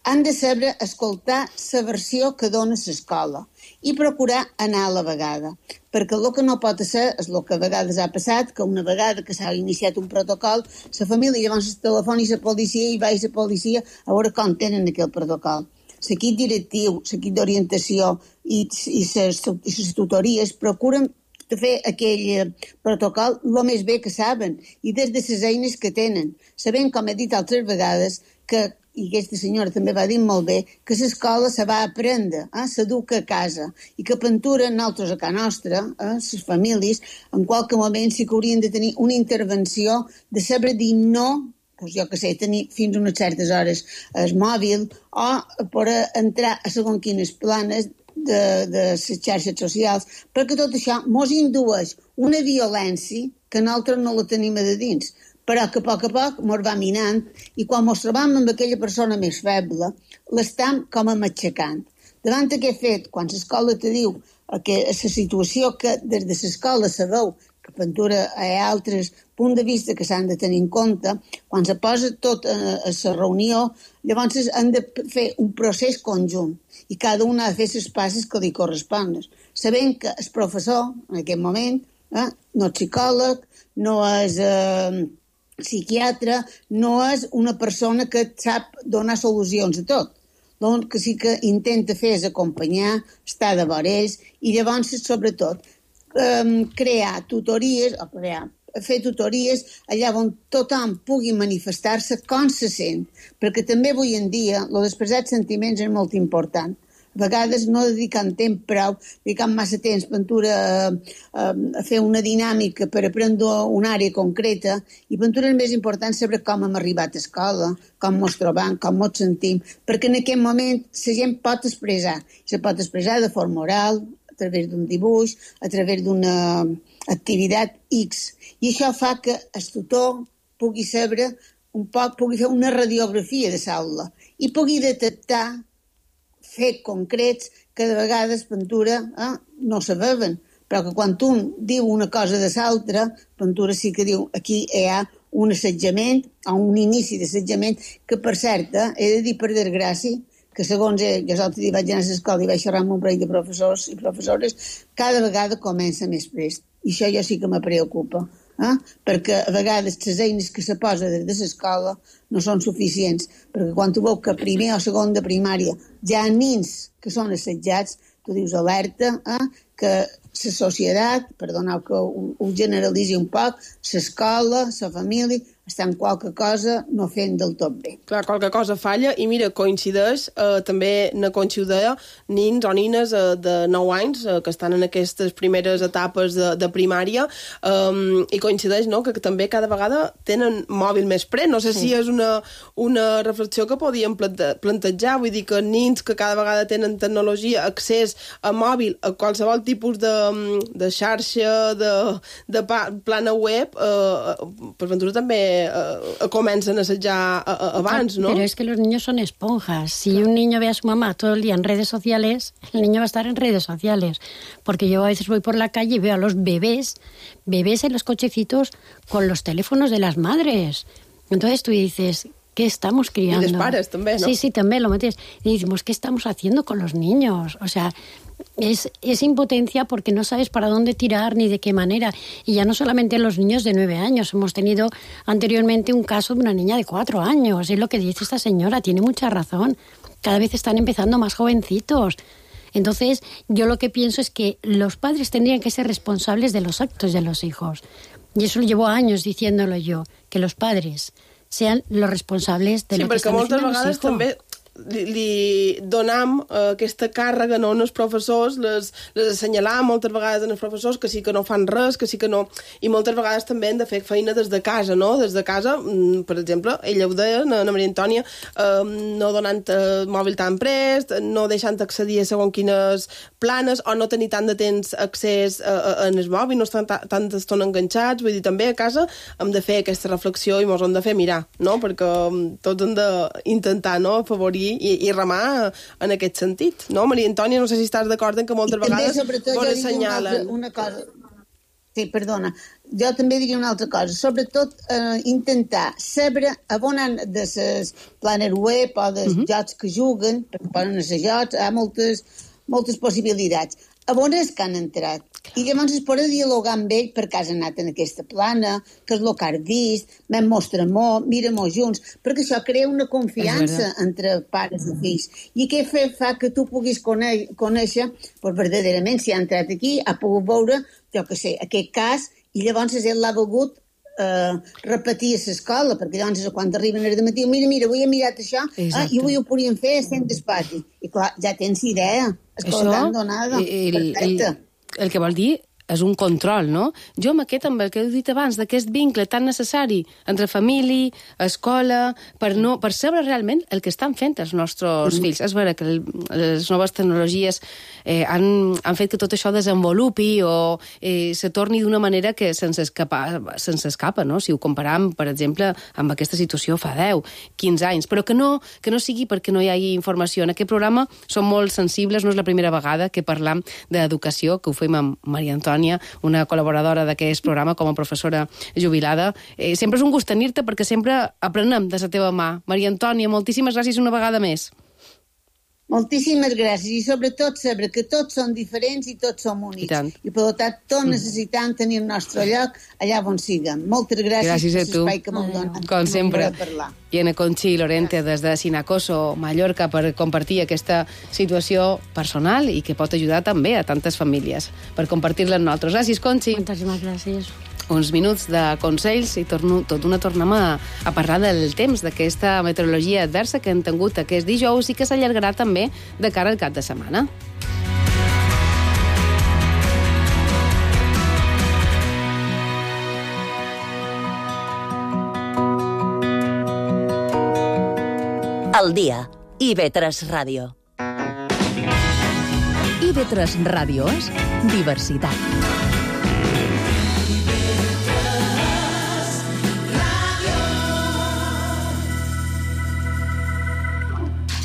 han de saber escoltar la versió que dona l'escola i procurar anar a la vegada. Perquè el que no pot ser és el que a vegades ha passat, que una vegada que s'ha iniciat un protocol, la família llavors telefona a la policia i va a la policia a veure com tenen aquell protocol. L'equip directiu, l'equip d'orientació i, i les tutories procuren de fer aquell protocol el més bé que saben i des de les eines que tenen, sabent, com he dit altres vegades, que, i aquesta senyora també va dir molt bé, que l'escola se va aprendre, eh? s'educa a casa, i que pintura nosaltres a casa nostra, eh? les famílies, en qualque moment sí que haurien de tenir una intervenció de saber dir no, doncs jo que sé, tenir fins a unes certes hores el mòbil o per entrar a segons quines planes de, de les xarxes socials, perquè tot això mos indueix una violència que nosaltres no la tenim a de dins, però que a poc a poc mos va minant i quan mos trobam amb aquella persona més feble, l'estam com a matxacant. Davant d'aquest fet, quan l'escola te diu que la situació que des de l'escola se veu que pintura hi ha altres punts de vista que s'han de tenir en compte, quan se posa tot a, a la reunió, llavors han de fer un procés conjunt i cada un ha de fer les passes que li corresponen, sabent que el professor, en aquest moment, eh, no és psicòleg, no és eh, psiquiatre, no és una persona que sap donar solucions a tot. El que sí que intenta fer és acompanyar, estar de vora ells i llavors, sobretot, Um, crear tutories, o crear, fer tutories allà on tothom pugui manifestar-se com se sent, perquè també avui en dia el d'expressar sentiments és molt important. A vegades no dedicant temps prou, dedicant massa temps pintura a, a, a fer una dinàmica per aprendre una àrea concreta, i pintura és més important saber com hem arribat a escola, com ens trobam, com ens sentim, perquè en aquest moment la gent pot expressar, se pot expressar de forma oral, a través d'un dibuix, a través d'una activitat X. I això fa que el tutor pugui saber un poc, pugui fer una radiografia de l'aula i pugui detectar fets concrets que de vegades pintura eh, no saben, però que quan un diu una cosa de l'altra, pintura sí que diu aquí hi ha un assetjament o un inici d'assetjament que, per cert, eh, he de dir per desgràcia, que segons ell, jo l'altre dia vaig anar a l'escola i vaig xerrar amb un parell de professors i professores, cada vegada comença més prest. I això jo sí que me preocupa, eh? perquè a vegades les eines que se posa des de l'escola no són suficients, perquè quan tu veus que primer o segon de primària hi ha nins que són assetjats, tu dius alerta, eh? que la societat, perdoneu que ho, ho generalitzi un poc, l'escola, la família, estan qualque cosa no fent del tot bé. Clar, qualque cosa falla, i mira, coincideix, eh, també na Conxi ho deia, nins o nines eh, de nou anys eh, que estan en aquestes primeres etapes de, de primària, eh, i coincideix, no?, que, que també cada vegada tenen mòbil més pres. No sé sí. si és una, una reflexió que podíem plante, plantejar, vull dir que nins que cada vegada tenen tecnologia, accés a mòbil, a qualsevol tipus de, de xarxa, de, de plana web, eh, per ventura també Uh, comencen a assetjar uh, uh, abans, ¿no? Pero es que los niños son esponjas. Si un niño ve a su mamá todo el día en redes sociales, el niño va a estar en redes sociales. Porque yo a veces voy por la calle y veo a los bebés, bebés en los cochecitos con los teléfonos de las madres. Entonces tú dices, ¿qué estamos criando? Y los padres también, ¿no? Sí, sí, también lo metes. Y decimos, ¿qué estamos haciendo con los niños? O sea, es, es impotencia porque no sabes para dónde tirar ni de qué manera. Y ya no solamente los niños de nueve años. Hemos tenido anteriormente un caso de una niña de cuatro años. Es lo que dice esta señora, tiene mucha razón. Cada vez están empezando más jovencitos. Entonces, yo lo que pienso es que los padres tendrían que ser responsables de los actos de los hijos. Y eso llevo años diciéndolo yo, que los padres sean los responsables de sí, lo que están haciendo los hijos. També li, li donam uh, aquesta càrrega no, als professors, les, les assenyalam moltes vegades als professors que sí que no fan res, que sí que no... I moltes vegades també hem de fer feina des de casa, no? Des de casa, per exemple, ella ho deia, na Maria Antònia, uh, no donant uh, mòbil tan prest, no deixant accedir a segons quines planes, o no tenir tant de temps accés a, a, a el mòbil, no estan tanta estona enganxats, vull dir, també a casa hem de fer aquesta reflexió i mos hem de fer mirar, no? Perquè tots hem d'intentar no? afavorir i, i remar en aquest sentit, no? Maria Antònia, no sé si estàs d'acord en que moltes I també, vegades vos assenyalen. Una, una cosa... Sí, perdona. Jo també diria una altra cosa. Sobretot eh, intentar saber on han de les planes web o dels uh -huh. jocs que juguen, perquè poden ser jocs, hi ha moltes, moltes possibilitats. A on és que han entrat? I llavors es poden dialogar amb ell per què has anat en aquesta plana, què és el que has vist, me'n mostra-m'ho, mira-m'ho junts, perquè això crea una confiança entre pares i fills. I què fa, fa que tu puguis conèixer, conèixer pues, verdaderament, si ha entrat aquí, ha pogut veure, jo què sé, aquest cas, i llavors ell l'ha volgut eh, repetir a l'escola, perquè llavors quan arriben al matí, mira, mira, avui he mirat això, ah, i avui ho podríem fer estem despati. I clar, ja tens idea, escola tan donada, el, perfecte. El, el que vol dir és un control, no? Jo amb aquest, amb el que heu dit abans, d'aquest vincle tan necessari entre família, escola, per, no, per saber realment el que estan fent els nostres mm. fills. És vera que el, les noves tecnologies eh, han, han fet que tot això desenvolupi o eh, se torni d'una manera que se'ns escapa, se'ns escapa, no? Si ho comparam, per exemple, amb aquesta situació fa deu, quinze anys, però que no, que no sigui perquè no hi hagi informació. En aquest programa som molt sensibles, no és la primera vegada que parlam d'educació, que ho fem amb Maria Antònia, una col·laboradora d'aquest programa com a professora jubilada. Eh, sempre és un gust tenir-te perquè sempre aprenem de la teva mà. Maria Antònia, moltíssimes gràcies una vegada més. Moltíssimes gràcies i sobretot saber que tots són diferents i tots som únics. I, I per tant, tots necessitem tenir el nostre lloc allà on siguem. Moltes gràcies, gràcies per l'espai que m'heu donat. Com sempre. I en Conchi Lorente des de Sinacoso, Mallorca, per compartir aquesta situació personal i que pot ajudar també a tantes famílies per compartir-la amb nosaltres. Gràcies, Conchi. Moltíssimes gràcies. Uns minuts de consells i torno, tot una tornem a, a parlar del temps, d'aquesta meteorologia adversa que hem tingut aquest dijous i que s'allargarà també de cara al cap de setmana. El dia. I ve tres Ràdio. I ve tres Ràdio és diversitat.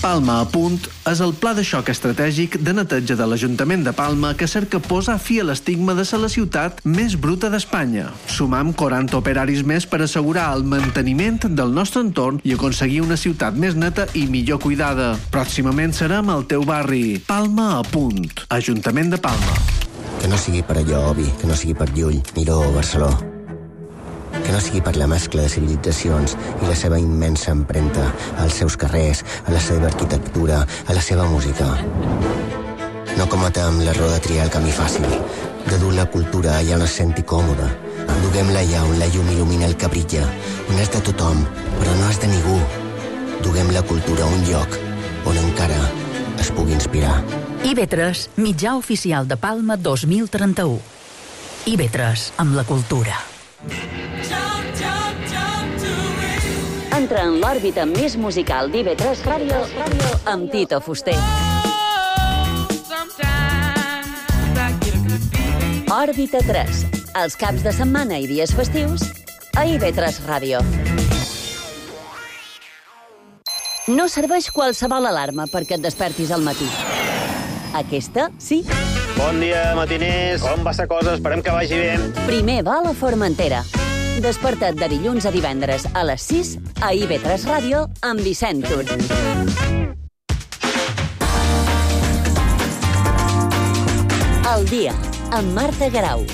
Palma a punt és el pla de xoc estratègic de neteja de l'Ajuntament de Palma que cerca posar fi a l'estigma de ser la ciutat més bruta d'Espanya. Sumam quaranta operaris més per assegurar el manteniment del nostre entorn i aconseguir una ciutat més neta i millor cuidada. Pròximament serem al teu barri. Palma a punt. Ajuntament de Palma. Que no sigui per allò, Obi, que no sigui per Llull, Miró o Barceló. Que no sigui per la mescla de civilitzacions i la seva immensa empremta als seus carrers, a la seva arquitectura, a la seva música. No cometem l'error de triar el camí fàcil, de dur la cultura allà on es senti còmode. Duguem-la allà on la llum il·lumina el que brilla, on és de tothom, però no és de ningú. Duguem la cultura a un lloc on encara es pugui inspirar. I ve tres, mitjà oficial de Palma dos mil trenta-u. I ve tres, amb la cultura. Entra en l'òrbita més musical d'I ve tres Ràdio amb Tito Fuster. Òrbita tres, els caps de setmana i dies festius a I ve tres Ràdio. No serveix qualsevol alarma perquè et despertis al matí. Aquesta, sí. Bon dia, matiners. Com va la cosa? Esperem que vagi bé. Primer va a la Formentera. Desperta't de dilluns a divendres a les sis a I ve tres Ràdio amb Vicent Tur. El dia, amb Marta Garau.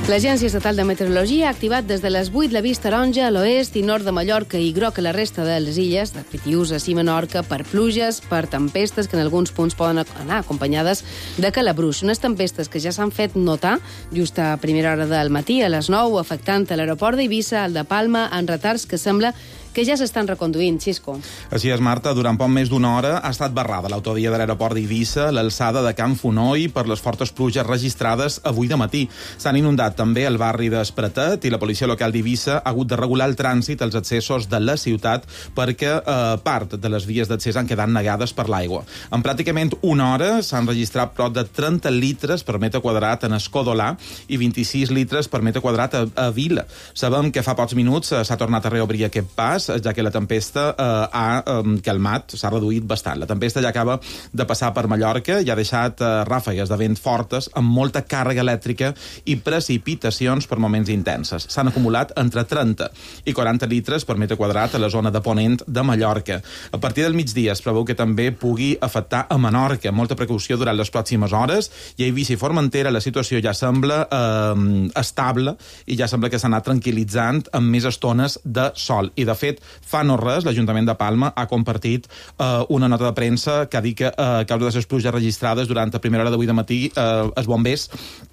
L'Agència Estatal de Meteorologia ha activat des de les vuit l'avís taronja a l'oest i nord de Mallorca i groc a la resta de les illes, de Pitiuses i Menorca, per pluges, per tempestes que en alguns punts poden anar acompanyades de calabruix. Unes tempestes que ja s'han fet notar just a primera hora del matí, a les nou, afectant a l'aeroport d'Eivissa, al de Palma, en retards que sembla que ja s'estan reconduint. Xisco. Així és, Marta. Durant poc més d'una hora ha estat barrada l'autovia de l'aeroport d'Eivissa, l'alçada de Can Fonoi, per les fortes pluges registrades avui de matí. S'han inundat també el barri d'Espretet i la policia local d'Eivissa ha hagut de regular el trànsit als accessos de la ciutat perquè eh, part de les vies d'accés han quedat negades per l'aigua. En pràcticament una hora s'han registrat prop de trenta litres per metre quadrat en Escodolà i vint-i-sis litres per metre quadrat a, a Vila. Sabem que fa pocs minuts eh, s'ha tornat a reobrir aquest pas, ja que la tempesta eh, ha eh, calmat, s'ha reduït bastant. La tempesta ja acaba de passar per Mallorca i ha deixat eh, ràfegues de vent fortes amb molta càrrega elèctrica i precipitacions per moments intenses. S'han acumulat entre trenta i quaranta litres per metre quadrat a la zona de Ponent de Mallorca. A partir del migdia es preveu que també pugui afectar a Menorca. Molta precaució durant les pròximes hores, i a Eivissa i Formentera la situació ja sembla eh, estable i ja sembla que s'ha anat tranquil·litzant amb més estones de sol. I de fet, fa no res, l'Ajuntament de Palma ha compartit eh, una nota de premsa que ha dit que eh, a causa de les pluges registrades durant la primera hora d'avui de matí eh, els bombers,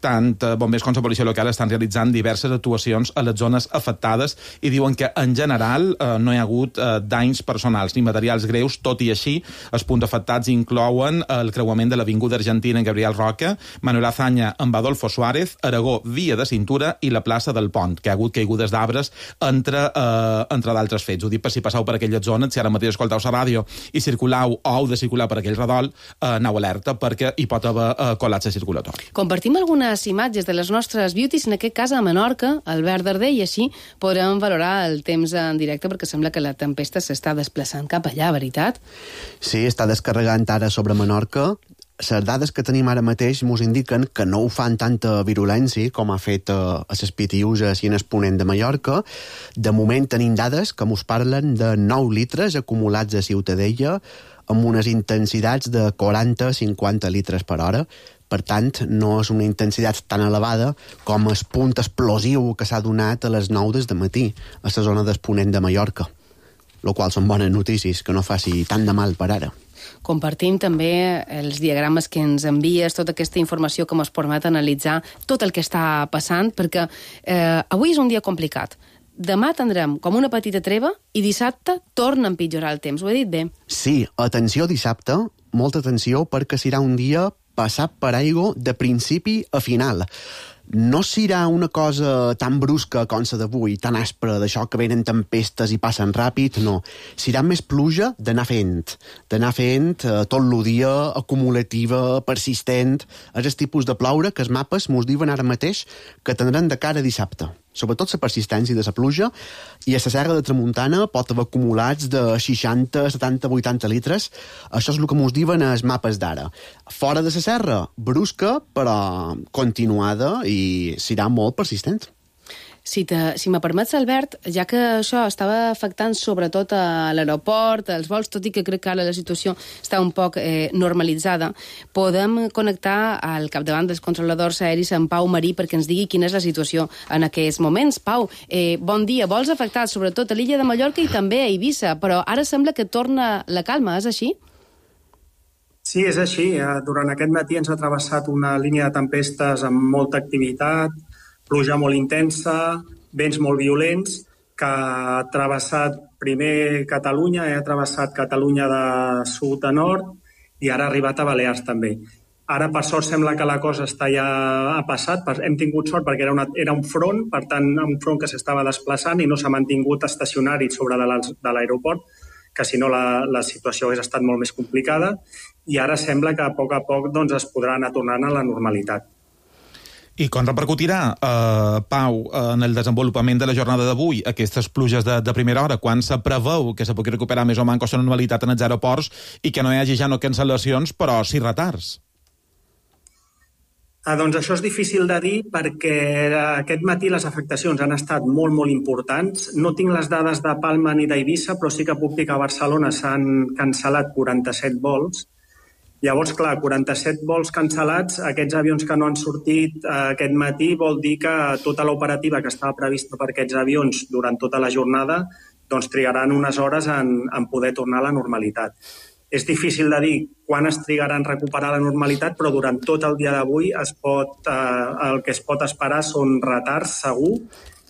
tant eh, bombers com la policia local, estan realitzant diverses actuacions a les zones afectades i diuen que en general eh, no hi ha hagut eh, danys personals ni materials greus. Tot i així, els punts afectats inclouen el creuament de l'Avinguda Argentina en Gabriel Roca, Manuel Azaña amb Adolfo Suárez, Aragó, Via de Cintura i la plaça del Pont, que ha hagut caigudes d'arbres entre, eh, entre d'altres fets. Ho dic per si passeu per aquelles zones, si ara mateix escolteu la ràdio i circulau o heu de circular per aquell redol, eh, aneu alerta perquè hi pot haver eh, col·lapse circulatori. Compartim algunes imatges de les nostres beauties, en aquest cas a Menorca, al Verd d'Arder, i així podrem valorar el temps en directe perquè sembla que la tempesta s'està desplaçant cap allà, veritat? Sí, està descarregant ara sobre Menorca. Les dades que tenim ara mateix mos indiquen que no ho fan tanta virulència com ha fet a les Pitiuses i en el Ponent de Mallorca. De moment tenim dades que mos parlen de nou litres acumulats a Ciutadella amb unes intensitats de quaranta a cinquanta litres per hora. Per tant, no és una intensitat tan elevada com el punt explosiu que s'ha donat a les nou del matí a la zona del Ponent de Mallorca, el qual són bones notícies, que no faci tant de mal per ara. Compartim també els diagrames que ens envies, tota aquesta informació que ens permet analitzar tot el que està passant, perquè eh, avui és un dia complicat. Demà tindrem com una petita treva i dissabte torna a empitjorar el temps. Ho he dit bé? Sí, atenció dissabte, molta atenció, perquè serà un dia passat per aigua de principi a final. No serà una cosa tan brusca com la d'avui, tan aspra, d'això que venen tempestes i passen ràpid, no. Serà més pluja d'anar fent, d'anar fent eh, tot el dia, acumulativa, persistent. És el tipus de ploure que els mapes mos diuen ara mateix que tindran de cara a dissabte. Sobretot la persistència de la pluja, i a la Serra de Tramuntana pot haver acumulats de seixanta, setanta, vuitanta litres. Això és el que mos diuen els mapes d'ara. Fora de la serra, brusca, però continuada, i serà molt persistent. Si, te, si me permets, Albert, ja que això estava afectant sobretot a l'aeroport, als vols, tot i que crec que ara la situació està un poc eh, normalitzada, podem connectar al capdavant dels controladors aeris en Pau Marí perquè ens digui quina és la situació en aquests moments. Pau, eh, bon dia. Vols afectats sobretot a l'illa de Mallorca i també a Eivissa, però ara sembla que torna la calma, és així? Sí, és així. Durant aquest matí ens ha travessat una línia de tempestes amb molta activitat, pluja molt intensa, vents molt violents, que ha travessat primer Catalunya, ha travessat Catalunya de sud a nord i ara ha arribat a Balears també. Ara, per sort, sembla que la cosa està ja ha passat. Hem tingut sort perquè era, una, era un front, per tant, un front que s'estava desplaçant i no s'ha mantingut estacionari sobre de l'aeroport, que si no la, la situació hagués estat molt més complicada, i ara sembla que a poc a poc doncs, es podrà anar tornant a la normalitat. I com repercutirà, eh, Pau, en el desenvolupament de la jornada d'avui aquestes pluges de, de primera hora, quan se preveu que se pugui recuperar més o menys la normalitat en els aeroports i que no hi hagi ja no cancel·lacions, però sí retards? Ah, doncs això és difícil de dir perquè aquest matí les afectacions han estat molt, molt importants. No tinc les dades de Palma ni d'Eivissa, però sí que puc dir que a Barcelona s'han cancel·lat quaranta-set vols Llavors, clar, quaranta-set vols cancel·lats, aquests avions que no han sortit eh, aquest matí vol dir que tota l'operativa que estava prevista per aquests avions durant tota la jornada doncs trigaran unes hores en, en poder tornar a la normalitat. És difícil de dir quan es trigarà en recuperar la normalitat, però durant tot el dia d'avui es pot, eh, el que es pot esperar són retards, segur,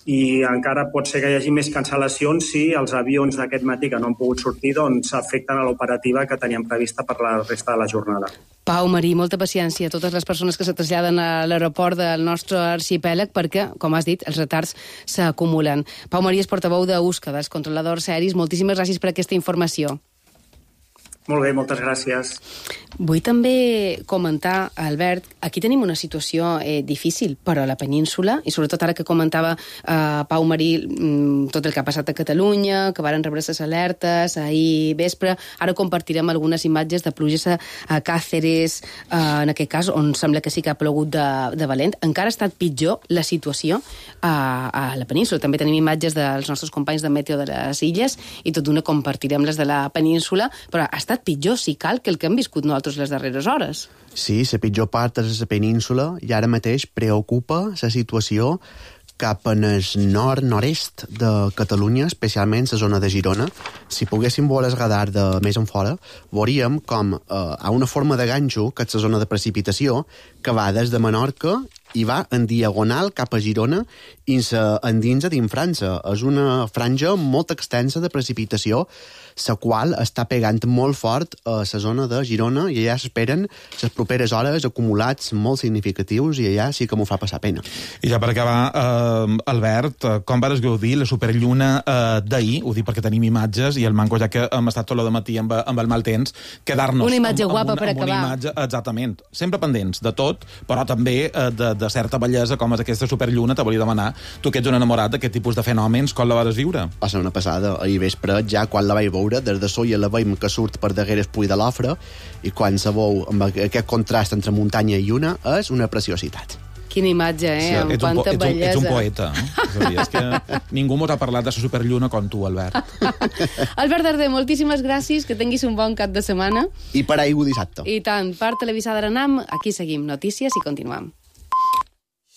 i encara pot ser que hi hagi més cancel·lacions si els avions d'aquest matí que no han pogut sortir doncs afecten a l'operativa que teníem prevista per la resta de la jornada. Pau, Marí, molta paciència a totes les persones que se traslladen a l'aeroport del nostre arxipèlag perquè, com has dit, els retards s'acumulen. Pau Marí és portaveu d'Usca, dels controladors aeris. Moltíssimes gràcies per aquesta informació. Molt bé, moltes gràcies. Vull també comentar, Albert, aquí tenim una situació eh, difícil per a la península, i sobretot ara que comentava eh, Pau Marí mm, tot el que ha passat a Catalunya, que varen rebre les alertes ahir vespre. Ara compartirem algunes imatges de pluges a, a Càceres, eh, en aquest cas, on sembla que sí que ha plogut de, de valent. Encara ha estat pitjor la situació a, a la península. També tenim imatges dels nostres companys de Meteo de les Illes, i tot d'una compartirem les de la península, però ha estat pitjor, si cal, que el que hem viscut nosaltres les darreres hores. Sí, la pitjor part és la península i ara mateix preocupa la situació cap en el nord-nord-est de Catalunya, especialment la zona de Girona. Si poguéssim veure el radar de més en fora, veuríem com eh, hi ha una forma de ganxo, que és la zona de precipitació, que va des de Menorca i va en diagonal cap a Girona i s'endinsa dins França. És una franja molt extensa de precipitació, la qual està pegant molt fort a la zona de Girona, i allà s'esperen les properes hores acumulats molt significatius, i allà sí que m'ho fa passar pena. I ja per acabar, eh, Albert, com vas gaudir la superlluna eh, d'ahir? Ho dic perquè tenim imatges, i el manco, ja que hem estat tot el matí amb, amb el mal temps, quedar-nos una imatge amb, guapa amb, per amb acabar. Una imatge, exactament. Sempre pendents de tot, però també eh, de, de certa bellesa, com és aquesta superlluna. Te volia demanar, tu que ets un enamorat d'aquest tipus de fenòmens, com la vas viure? Va ser una passada. Ahir vespre, ja quan la vaig veure, des de Solla la veiem que surt per darrere el Puig de l'Ofre, i quan se veu amb aquest contrast entre muntanya i lluna, és una preciositat. Quina imatge, eh? Sí, amb ets quanta un, ets bellesa. Un, ets un poeta, eh? És a dir, és que ningú mos ha parlat de la superlluna com tu, Albert. Albert Darder, moltíssimes gràcies, que tinguis un bon cap de setmana. I per aigua dissabte. I tant, per Televisada Arenam, aquí seguim notícies i continuem.